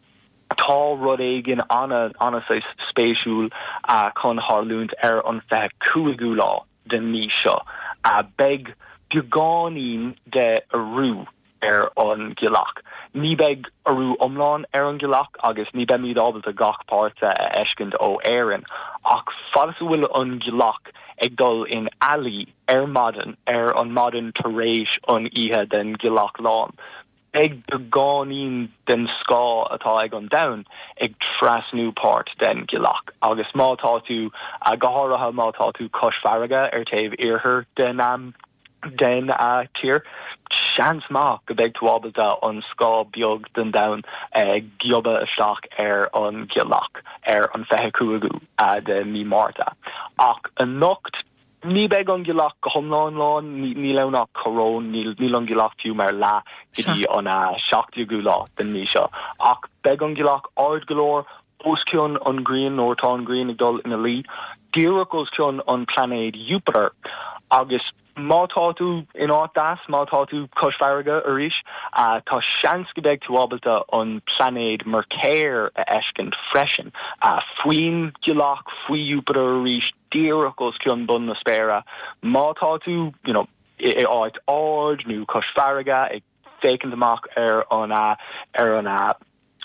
tá rud éigin ana, ana saghas spéisiúil chun tharlúint ar an 25ú lá den mí seo. Beidh beagáinín de urú ar an ghealach. Ní beidh urú iomlán ar an ghealach agus ní beimid ábalta gach páirt de a fheiscint ó Éirinn, ach fad is a bhfuil an ghealach ag dul in ealaí, ar maidin, ar an maidin tar éis an oíche den ghealach lán, beidh beagáinín den scáth atá ag an domhan ag trasnú páirt den ghealach. Agus má tá tú, go háirithe má tá tú cois farraige ar taobh iarthar den den tír, seans maith go mbeidh tú ábalta an scáth beag den domhan a ghiobadh isteach ar an ghealach ar an 25ú de mí Márta. Ach anocht, Ní beidh an ghealach go hiomlán lán, níl ann ach coróin, níl an ghealach fiú mar leath go dtí an 17ú lá den mí seo. Ach beidh an ghealach ard go leor, os cionn an ghrian nuair atá an ghrian ag dul ina luí, díreach os cionn an plainéad Jupiter. Agus má tá tú in áit deas, má tá tú cois farraige arís, tá seans go mbeidh tú ábalta an plainéad Meircéir a fheiscint freisin. Faoin ghealach, faoi Jupiter arís, díreach os cionn bun na spéire. Má tá tú, you know, i áit ard nó cois farraige ag féachaint amach ar an ar an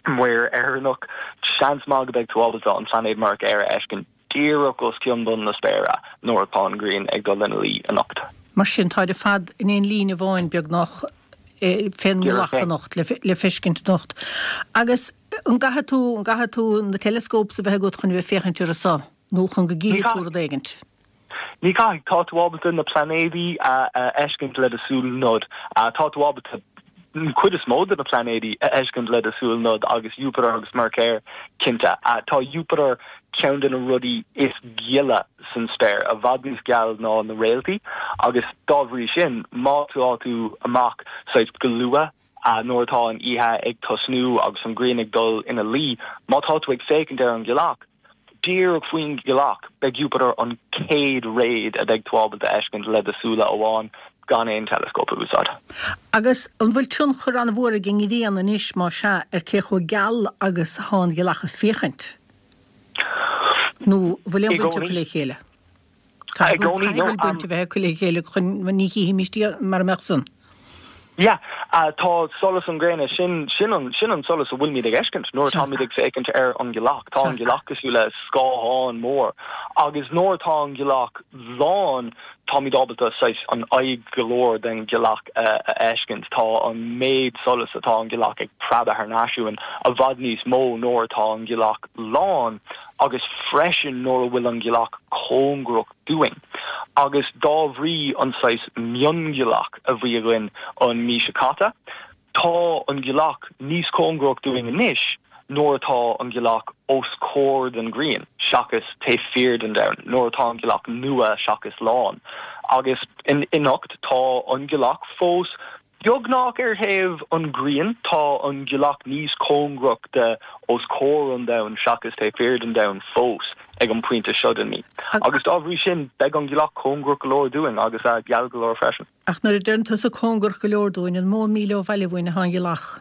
Muir Éireannach, seans maith go mbeidh tú ábalta an plainéad Meircéir a fheiscint díreach os cionn bun na spéire nuair atá an ghrian ag dul ina luí anocht. Mar sin, táid ar fad in aon líne amháin beagnach fén ngealach anocht, le feiscint anocht. Agus an gcaithfidh tú, an gcaithfidh tú na telescopes a bheith agat chun a bheith ag féachaint orthu so? Nó chun go gcífidh tú rud éigint. Ní caithfidh. Tá tú ábalta na plainéadaí a fheiscint le do súil nod. Tá tú ábalta an chuid is mó de na plainéadaí a fheiscint le do súil nod agus Jupiter agus Meircéir cinnte. Tá Jupiter ceann de na rudaí is gile san spéir, i bhfad níos geal ná na réaltaí agus dá bhrí sin má tá tú amach saghas go luath nuair atá an oíche ag tosnú agus an ghrian ag dul ina luí, má tá tú ag féachaint ar an ghealach, Díreach faoin ghealach, beidh Jupiter an chéad réad a bheidh tú ábalta a fheiscint le do súile amháin gan aon teileascóp a úsáid. Agus an bhfuil tionchar an-mhór ag an ngrian anois, más ea, ar cé chomh geal agus atá an ghealach ag féachaint? Nó an bhfuil aon bhaint acu le chéile? I gcónaí, no. Caithfidh go bhfuil baint a bheith acu le chéile chun ní chífimís iad mara mbeadh san. Yeah, tá solas an ghréine, sin, sin an, sin an solas a bhfuilimid ag fheiscint nuair atáimid ag féachaint ar an ghealach. Tá an ghealach cosúil le scáthán mór agus nuair atá an ghealach lán, táimid ábalta saghas an aghaidh go leor den ghealach a fheiscint. Tá an méid solais atá an ghealach ag preabadh thar n-ais uainn i bhfad níos mó nuair atá an ghealach lán. agus freisin nuair a bhfuil an ghealach cóngarach dúinn, agus dá bhrí an saghas mionghealach a bhí againn an mí seo caite, tá an ghealach níos cóngarach dúinn anois nuair atá an ghealach os comhair den ghrian seachas taobh thiar den domhan, nuair atá an ghealach nua seachas lán. Agus anocht tá an ghealach fós Beagnach ar thaobh an ghrian, tá an ghealach níos cóngarach de os comhair an domhain seachas taobh thiar den domhan fós ag an pointe seo den mí. Agus dá bhrí sin, beidh an ghealach cóngarach go leor dúinn agus geal go leor freisin. Ach nuair a deireann tusa cóngarach go leor dúinn, an mó míle ó bhaile uainn atá an ghealach?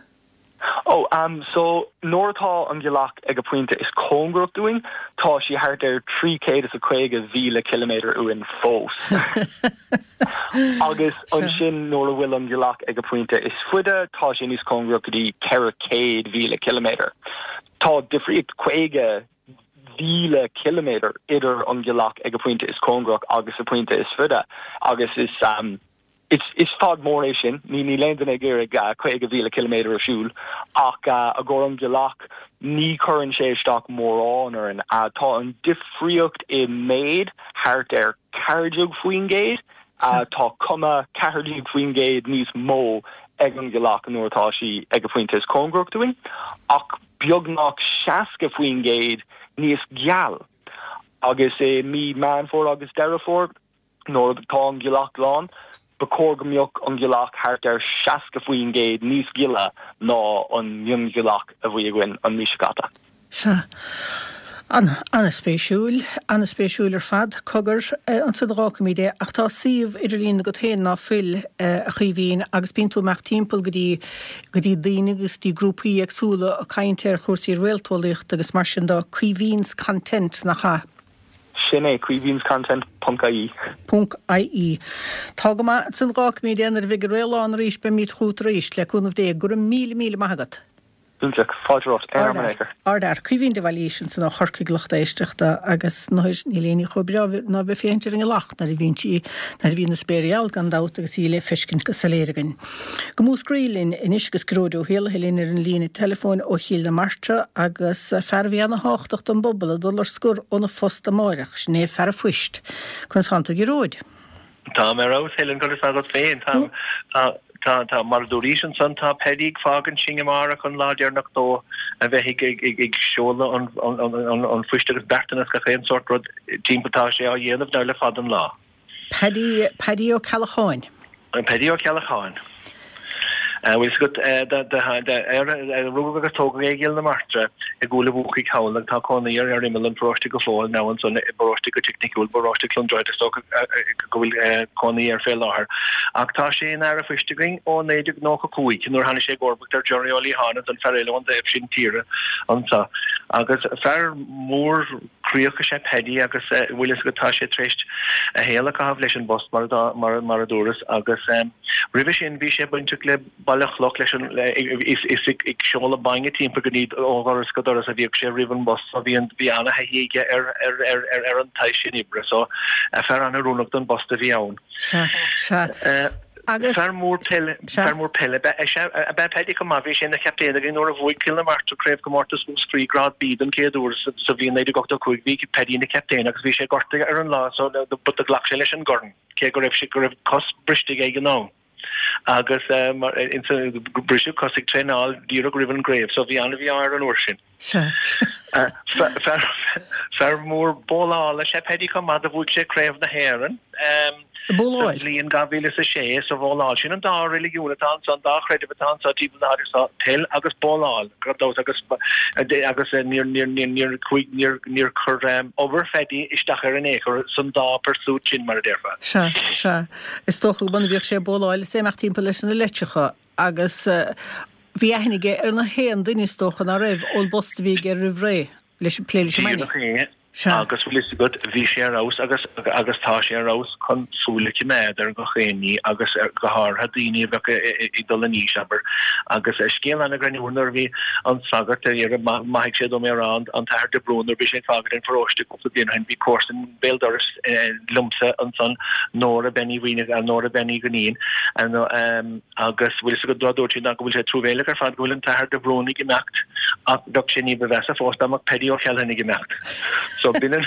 Ó, so nuair atá an ghealach ag a pointe is cóngarach dúinn, tá sí thart ar 350,000 ciliméadar uainn fós. Agus ansin nuair a bhfuil an ghealach ag a pointe is faide, tá sé níos cóngarach go dtí 400,000 ciliméadar. Tá difríocht 50,000 ciliméadar idir an ghealach ag a pointe is cóngarach agus a pointe is faide agus is Is fad mór é sin. Níl aon duine ag iarraidh 50,000 ciliméadar a siúl, ach i gcomhair an ghealach, ní chuireann sé isteach mórán orainn. Tá an difríocht i méid thart ar 14%. Tá cuma 14% níos mó ag an ghealach nuair atá sí ag a pointe is cóngarach dúinn, ach beagnach 60% níos geal. Agus i mí Meán Fómhair agus Deireadh Fómhair, Nuair atá an ghealach lán, ba chóir go mbeadh an ghealach thart ar 60% níos gile ná an mhionghealach a bhí againn an mhí seo caite. Sea. An-spéisiúil. An-spéisiúil ar fad. Cogar, ansin a dh'fhágfaimid é, ach tá suíomh idirlín agat féin, ná fuil, a Chaoimhín, agus bíonn tú ag imeacht timpeall go dtí, go dtí daoine agus dtí grúpaí éagsúla ag caint ar chúrsaí réalteolaíochta agus mar sin de. Caoimhín's Content, nach ea? Sin é, caoimhinscontent ponc ie. Ponc ie. Tá go maith, ansin dh'fhágfaimid é, nuair a bheidh an réalán arís beimid chugat arís, le cúnamh Dé. Go raibh míle, míle maith agat. Iontach. Fáilte romhat. Aon am in aon chor. Ardfhear. Caoimhín de Bhailís ansan ó Chorcaigh lucht éisteachta agus nuair, níl aon ní chomh breá ná bheith féachaint ar an ngealach nuair a bhíonn sí, nuair a bhíonn an spéir geal gan dabht agus í le feiscint go soiléir againn. Go Múscraí linn anois agus Gearóid Ó hÉallaithe linn ar an líne teileafóin ó Chill na Martra agus fear a bhí ana-thábhachtach don bpobal ag dul ar scor óna phost amáireach, sin é fear an phoist. Conas tánn tú a Ghearóid? Táim ar fheabhas, Helen, conas tá agat féin? Tá, tá, tá, tá, mar a dúraís ansan, tá Paddy ag fágaint sinn amárach an lá deireanach dó a bheith ag, ag, ag, ag seoladh an, an, an, an phoist agus beartanas gach aon sórt rud timpeall tá sé á dhéanamh now le fada an lá. Paddy, Paddy Ó Ceallacháin. Paddy Ó Ceallacháin. Bhfuil fhios agat, rugadh agus tógadh é i gCill na Martra i gCúil a' Bhúcaigh thall agus tá cónaí air ar imeall an pharóiste go fóill now ansan i bparóiste go teicniciúil, paróiste Cluain Droichead is dócha go bhfuil cónaí air fé láthair. Ach tá sé ina fhear a' phoist againn ó 1995 nuair a tháinig sé i gcomharbacht ar Gerry Ó Liatháin ansan, fear eile ón dtaobh sin tíre anso. Agus fear mór croíoch is ea Paddy agus bhfuil fhios agat tá sé tar éis a shaol a chaitheamh leis an bpost mar mar mar a dúras agus roimhe sin bhí sé bainteach le Baile Chloch leis an is is ag ag seoladh bainne timpeall go dtí ó dhoras go doras a bhíodh sé roimh an bpost so bhí an bhí ana-thaithí aige ar ar ar ar ar an tsaghas sin oibre so fear an-oiriúnach don bpost a bhí ann. Sea, sea. Agus. Fear mór peile, fear mór peile ab ea, ab ea Paddy chomh maith. Bhí sé ina chaptaen againn nuair a bhuaigh Cill na Martra Craobhchomórtas Mhúscraí Grád B don chéad uair sa bhliain 1985. Bhí Paddy ina chaptaen agus bhí sé gortaithe ar an lá so but do ghlac sé leis an gcorn cé go raibh sé, go raibh cos briste aige ag an am. Agus briseadh cos ag traenáil díreach roimh an gcraobh so bhí an-mhí-ádh air an uair sin. Sea. Fear mór bólála is ea Paddy chomh maith, do bhuaigh sé Craobh na hÉireann sa bhliain 2006 sa bhóláil. Sin an dá reiligiún atá anso, an dá chreideamh atá anso timpeall na háite seo, peil agus bóláil, gan dabht, agus agus níor níor níor níor chuaigh níor níor chuir obair Phaddy isteach air in aon chor san dá pursuit sin, mar a déarfá. Sea, sea. Is dócha go mb'ionann bhíodh sé ag bóláil is é ag imeacht timpeall leis na leitreacha agus Bhí aithne aige ar na haon duine is dócha, ná raibh, ón bpost a bhí aige roimh ré, leis, plé leis an mbainne. Díreach é, Sea. agus bhfuil fhios agat, bhí sé ar fheabhas agus, agus tá sé ar fheabhas chun súil a choimeád ar gach aon ní agus go háirithe daoine a bheadh ag dul in aois, abair. Agus scéal an-ghreannmhar nuair a bhí an sagart, maithfidh sé dom é a rá, an tAthair de Brún, nuair a bhí sé ag fágaint an pharóiste cúpla bliain ó shin, bhí comharsan béal dorais liomsa ansan, Nóra Bean Uí Mhaonaigh, Nóra Bean Uí Dhuinnín, Agus bhfuil fhios agat dá dúirt sí ná go bhfuil sé truamhéileach ar fad go bhfuil an tAthair de Brún ag imeacht ach bheadh sé ní ba mheasa fós dá mbeadh Paddy Ó Ceallacháin ag imeacht. So b'in an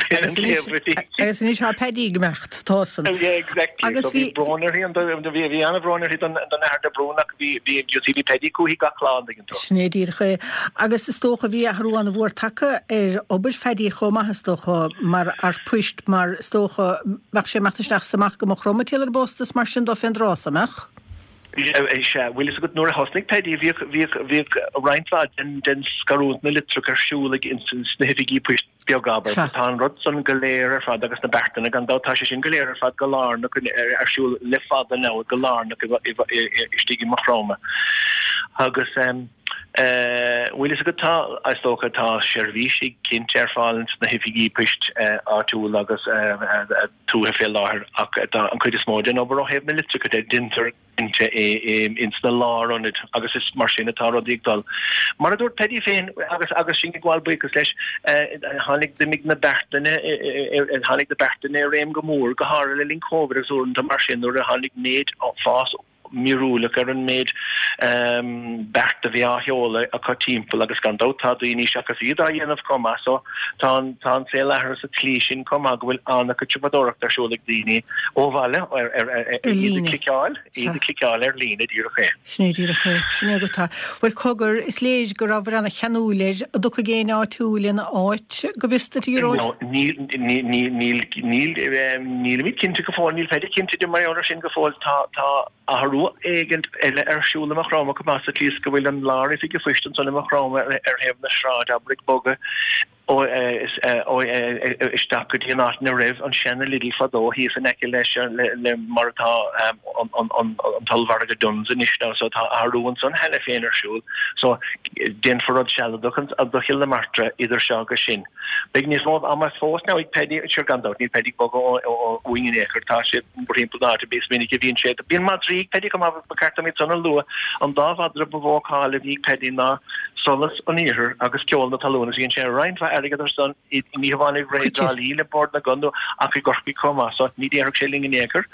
b'in an chéad rud. Agus anois tá Paddy ag imeacht, tá san. Yeah, exactly. Agus So bhí bhí. brón uirthi an bhí bhí an-bhrón uirthi don don Athair de Brún ach bhí bhí you see bhí Paddy chúithi gach lá an dtuigeann tú. Sin é díreach é. Agus is dócha bhí athrú an-mhór tagtha ar obair Phaddy chomh maith is dócha mar fhear poist mar is dócha bheadh sé ag imeacht isteach is amach go Maigh Chromtha ag triall ar an bpost is mar sin dó fén dtráth so, an mbeadh? Sea, bhfuil fhios agat nuair a thosnaigh Paddy bhíodh, bhíodh, bhíodh roinnt mhaith den, den scarúint na litreach ar siúl ag ins na hoifigí poist beaga, abair. Sea. Tá an rud san go léir ar fad agus na beartanna gan dabht, tá sé sin go léir ar fad go lárnach ar siúl le fada now, go lárnach istigh i Maigh Chromtha. Agus bhfuil fhios agat tá, is dócha, tá seirbhísí cinnte ar fáil ins na hoifigí poist áitiúla agus tuaithe fé láthair ach tá an chuid is mó den obair ó thaobh na litreacha de, deintear cinnte é ins na lárionaid agus is mar sin atá rudaí ag dul. Mar a dúirt Paddy féin agus agus sinn ag gabháil buíochas leis, tháinig d'imigh na beartanna tháinig na beartanna i réim go mór, go háirithe le linn Covid agus uaireanta mar sin nuair a tháinig méid fás míorúileach ar an méid beart a bhí á sheoladh acu timpeall agus gan dabht tá daoine seachas iad á dhéanamh chomh maith so tá an tá an saol athraithe sa tslí sin chomh maith go bhfuil an-chuid siopadóireachta ar siúl ag daoine ó bhaile ar ar ar Ar iad ag líne. cliceáil iad Sea. ag cliceáil ar líne díreach é. Sin é díreach é. Sin é agat é. Bhuel cogar, is léir go rabhair ana-cheanúil air. An dtiocfaidh éinne áitiúil ina áit, go bhfios duit, a Ghearóid? No, níl níl níl níl níl nílimid cinnte go fóill, níl Paddy cinnte de mar gheall air sin go fóill. Tá tá athrú éigint eile ar siúl i Maigh Chromtha chomh maith sa tslí is go bhfuil an lár-oifig an phoist ansan i Maigh Chromtha ar thaobh na sráide, abair, ag bogadh ó isteach go dtí an áit ina raibh an seana Lidl fadó thíos in aice leis le mar atá an t-ollmhargadh Dunnes anois now so tá athrú ansan cheana féin ar siúl so déanfar rud sealadach do Chill na Martra idir seo agus sin. Beidh níos mó ama fós now ag Paddy, sure gan dabht níl Paddy ag bogadh uainn in aon chor, tá sé mórthimpeall na háite, is minic a bhíonn sé, bíonn madraí ag Paddy chomh maith, ba cheart dom iad san a lua, an dá mhadra ba mhó cáil a bhí ag Paddy ná Solas an Iarthair agus Ceol na Talún agus dhein sé roinnt mhaith airgid ar san, ní hamháin i rith i dTrá Lí le Bord na gCon ach i gCorcaigh chomh maith, so ní déarfadh sé linn in aon chor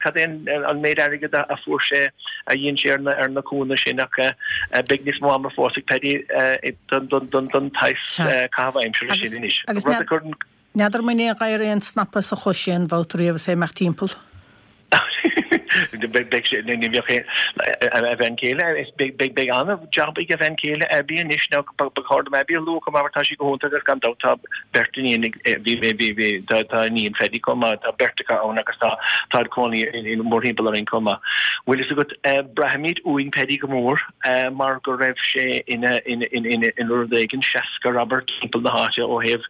cad é an méid airgid a fuair sé, a dhein sé ar na cúnna sin ach beidh níos mó ama fós ag Paddy don tsaghas caitheamh aimsire sin anois. Agus Rud a chuireann. n'fheadar an mbain aon ghadhar aon snapa sa chois aon bhabhta riamh is é ag imeacht timpeall. Beidh sé, ní bheadh aon, a bhean chéile, beidh, beidh an-jab ag a bhean chéile Abby anois nó ba chóir dom Abby a lua chomh maith mar tá sí go hiontach agus gan dabht tá beirt iníon ag, bhí, bhí, bhí, tá, tá iníon Phaddy chomh maith, tá beirt acu ann agus tá, tá cónaí mórthimpeall orainn chomh maith. Bhfuil fhios agat, braithimid uainn Paddy go mór. mar go raibh sé ina rud éigin seascair, abair, timpeall na háite ó thaobh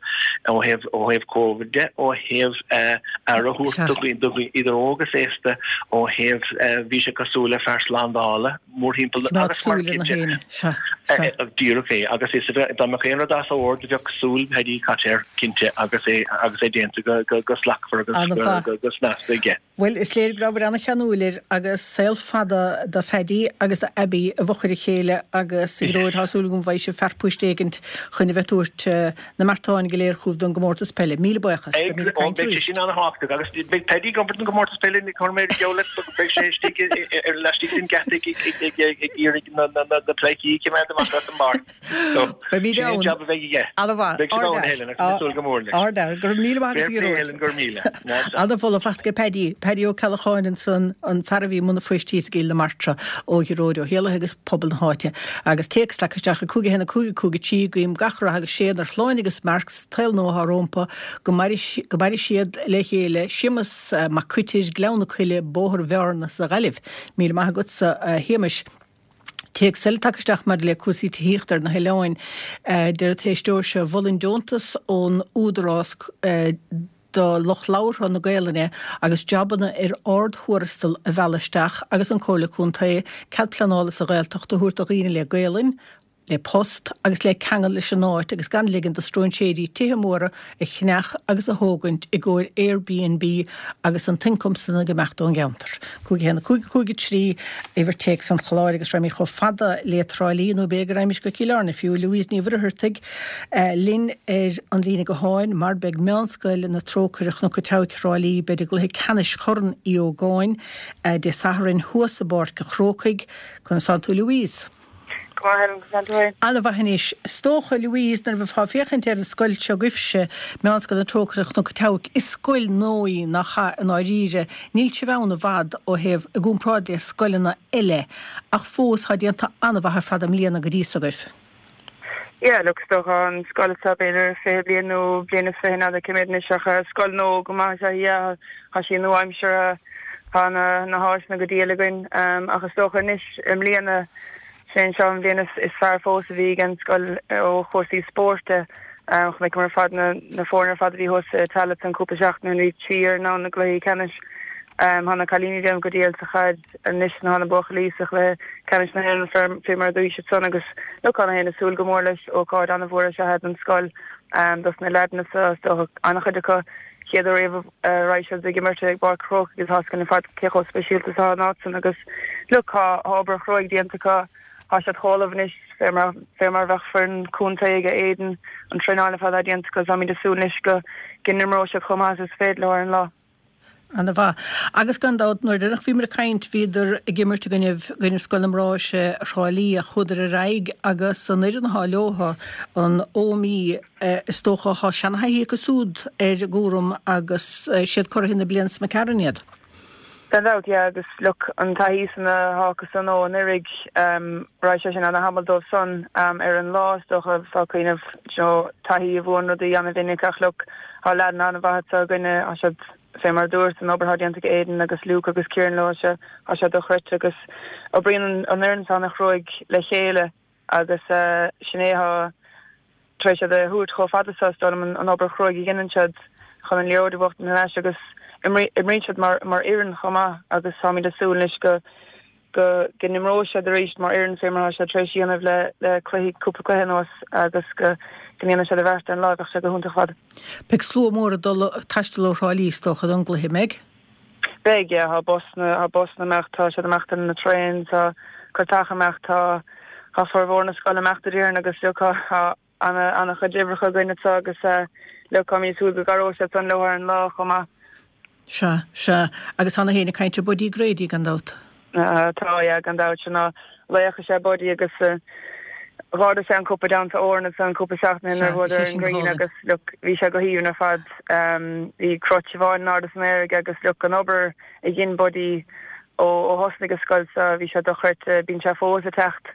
ó thaobh ó thaobh Covid de, ó thaobh aire a thabhairt do dhaoine idir óg is aosta, ó thaobh bhí sé cosúil le fear slándála mórthimpeall na agus mar cinnte díreach é agus is dá mbeadh aon rud as ord bheadh súil Paddy caite air cinnte agus é agus é déanta go slachtmhar agus go snasta aige. Bhuel, is léir go rabhabhair an-cheanúil air agus saol fada do Phaddy agus do Abbie i bhfochair a chéile agus a Ghearóid tá súil agam go bhfaighidh sibh fear poist éigint chun a bheith tabhairt na mbeartáin go léir chugaibh don gcomórtas peile. Míle buíochas. Beimid ag caint Beidh sé arís. sin an-thábhachtach agus beidh Paddy ag obair don gcomórtas peile ní chuirfidh mé geall leat beidh sé istigh ar laistigh den geata ag iarraidh na pleidhcí a choimeád amach as an bpáirc. Beimid Sin é an ann. jab a bheidh aige. An-mhaith. Beidh sibh ann, Helen, agus mé ag súil go mór leis. Ard-fhear. Go raibh míle maith agat, Fair play, Gearóid. Helen, go raibh míle. An-mholadh faighte ag Paddy, Paddy Ó Ceallacháin ansan, an fear a bhí i mbun an phoist thíos i gCill na Martra ó Ghearóid Ó hÉallaithe agus pobal na háite. Agus téacs tagtha isteach ag 5 1 5 5 3, Guím gach rath agus séan ar Shláine agus Mark sa tsaol nua atá rómpa, go maire go maire siad le chéile, Séamus Mac Coitir, Gleann na Coille, Bóthar Bhearna sa Ghaillimh. Míle maith agatsa, a Shéamais. Téacs eile tagtha isteach maidir le cúrsaí tithíochta ar na hoileáin. Deir an t-éisteoir seo, Mholfainn deontas ón Údarás do lucht labhartha na Gaelainne agus jabanna ar ard-thuarastal a mhealladh isteach agus an Comhairle Contae cead pleanála sa Ghaeltacht a thabhairt do dhaoine le Gaelainn, le post agus le ceangal leis an áit agus gan ligean do stróinséirí tithe móra a cheannach agus a thógaint i gcomhair Airbnb agus an t-ioncam san ag imeacht ón gceantar. 5 1 5 5 3 Uimhir téacs an chláir agus raghaimid chomh fada le Trá Lí nó b'fhéidir go raghaimid go Cill Airne fiú, Louise Ní Mhuircheartaigh linn ar an líne gutháin mar beidh Meánscoil na Trócaire Chnoc an tSeabhaic Thrá Lí beid i gcluiche ceannais Chorn Uí Ógáin Dé Sathairn thuas i bPáirc an Chrócaigh. Conas tánn tú Louise? Go maith, Helen, conas tánn tú féin? An-mhaith anois. Is dócha, Louise, nuair a bheifeá ag féachaint ar an scoil seo agaibhse, Meánscoil na Trócaire Chnoc an tSeabhaic, is scoil nua í, nach ea, i ndáiríre. Níl sibh ann i bhfad ó thaobh, i gcomparáid le scoileanna eile, ach fós tá déanta an-mhaith ar fad i mbliana go dtí so agaibh. Yeah, look, is dócha an scoil seo b'fhéidir 20 bliain nó bliain is fiche n'fheadar cé mhéad anois ach scoil nua go maith is ea í, yeah, tá sí nua-aimseartha, tá na na háiseanna go diail againn ach is dócha anois i mbliana, sé an seo an bhliain is is fearr fós a bhí ag an scoil ó chúrsaí spóirt de. Chonaiceamar ar fad na na foirne ar fad a bhí thuas i Tallaght an cúpla seachtain ó shin, bhí trí fhoireann ann i gcluichí ceannais. Tá na cailíní ag déanamh go diail sa chaid. Anois tá na buachaillí sa chluiche ceannais na hÉireann fé mar a bhí siad san agus look tá gach éinne ag súil go mór leis. Ócáid an-mhór is ea é don scoil dos na leaideanna so is dócha an-chuid acu chéad uair riamh a raghaidh siad ag imirt i bPáirc an Chrócaigh agus tá a fhios againn ar fad cé chomh speisialta is atá an áit san agus look tá obair chruaidh déanta acu tá siad chomh ullamh anois fé mar fé mar bheadh foireann contae ag Aidan an traenáil ar fad atá déanta acu táimid ag súil anois go go n-imreoidh siad chomh maith is is féidir leo ar an lá. Ana-mhaith. Agus gan dabht, nuair a bhíomar ag caint, bhíodar ag imirt i gcoinnibh, gcoinnibh Scoil na mBráithre Thrá Lí ach chuadar ar aghaidh agus an fhoireann athá leotha, an Ómaigh, is dócha, thá seana-thaithí acu súd ar an gcúram agus siad curaithe na bliana sa McCarron iad. Gan dabht, yeah, agus look, an taithí san athá acu san ó anuraidh, raghaidh sé sin ana-thamall dóibh san ar an lá, is dócha, tá cuimhneamh, you know, taithí a bhuann rudaí ana-mhinic ach look, Tá leaideanna an-mhaith anseo againne, tá siad, fé mar a dúirt, an obair atá déanta ag Aidan agus Luke agus Kieran leo, tá sé dochreidte agus oibríonn an fhoireann seo ana-chruaidh le chéile agus sin é atá tar éis iad a thabhairt chomh fada seo, is dóigh liom, an obair chruaidh a dheineann siad chun an liathróid a bhuachtaint thar n-ais agus imríonn siad mar fhoireann chomh maith agus táimid ag súil anois go go n-imreoidh siad arís mar fhoireann fé mar atá siad tar éis a dhéanamh le le cluichí, cúpla cluiche anuas agus go ndéanfaidh siad a bheart ar an lá, bheadh sé go hiontach ar fad. Beidh slua mór ag dul ag taisteal ó Thrá Lí is dócha don gcluiche, an mbeidh? Beidh, yeah, tá busanna, tá busanna ag imeacht, tá siad ag imeacht ar na traeins, tá cairteacha ag imeacht, tá tá formhór na scoile ag imeacht a déarfainn agus look tá tá ana ana chuid uimhreacha againn anseo agus look táimid ag súil go gcabhróidh siad san leo ar an lá chomh maith. Sea, sea. Agus tá gach éinne ag caint ar Buddy Grady, gan dabht. Tá, yeah, gan dabht. Sin ná laoch is ea Buddy agus dh'ardaigh sé an cupa down to Oran ansan cúpla seachtain ó shin nuair a bhuadar ar an nGrian agus look bhí sé go haoibhinn ar fad. Bhí cruit amháin in airde san aer aige agus look an obair a dhein Buddy ó thosnaigh an scoil seo, bhí sé dochreidte. Bíonn sé fós ag teacht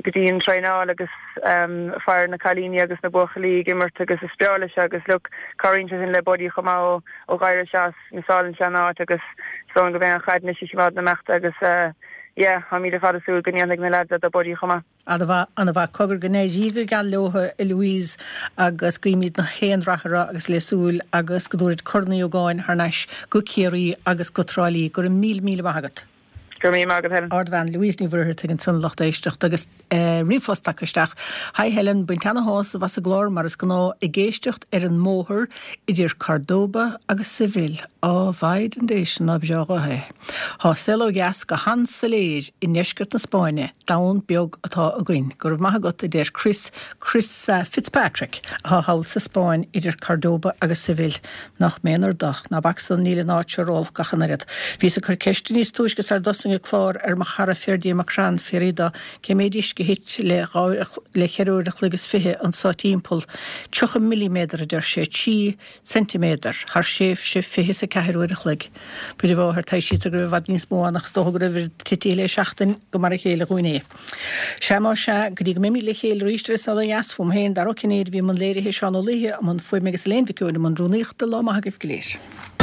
go dtí an traenáil agus faire na cailíní agus na buachaillí ag imirt agus is breá leis agus look cabhraíonn sé sin le Buddy chomh maith ó d'éirigh sé as, missálann sé an áit agus is dóigh liom go mbeidh an chaid anois á choimeád na imeachta agus yeah táimid ar fad ag súil go ndéanfaidh na leaids é do Buddy chomh maith. Ana-mhaith, ana-mhaith. Cogar go n-éirí go geal leo, a Louise, agus guímid gach aon rath orthu agus le súil agus go dtabharfaid Corn Uí Ógáin thar n-ais go Ciarraí agus go Trá Lí. Go raibh míle, míle maith agat. Go raibh míle maith agat, Helen. Ardbhean Louise Ní Mhuircheartaigh ansan lucht éisteachta agus ríomhphost tagtha isteach. Hi Helen, baint ana-shásamh as an gclár mar is gnáth, ag éisteacht ar an mbóthar idir Cordoba agus Seville. Á Mhaighdean Dé sin ná breá ghuth é. Thá saol ó dheas go han-soiléir i ndeisceart na Spáinne, domhan beag atá againn. Go raibh maith agat, a deir Chris, Chris Fitzpatrick, athá thall sa Spáinn idir Cordoba agus Seville. Nach méanar do. Ná bac san, níl an áit seo rófholcach ach an oiread. Bhíos ag cur ceiste níos túisce sar dtosaigh an clár ar mo chara Ferdia McCrann, fiafraí do cé méid uisce a thit le dhá le cheithre uair a chloig is fiche anso timpeall. 30 milliméadar, a deir sé, 3 ceintiméadar, thar thréimhse 24 uair a chloig. Muire a Mháthair, taibhsítear go raibh i bhfad níos mó ann ach is dócha go raibh oiread titithe le seachtain gur mar a chéile dhúinn é. Sea más ea, go dtí go mbeimid le chéile arís ar An Saol Ó Dheas, fúm féin, Dara Ó Cinnéide a bhí i mbun léirithe, Seán Ó Laoithe i mbun fuaime agus Elaine Mhic Eoin i mbun rúnaíochta, lá maith agaibh go léir.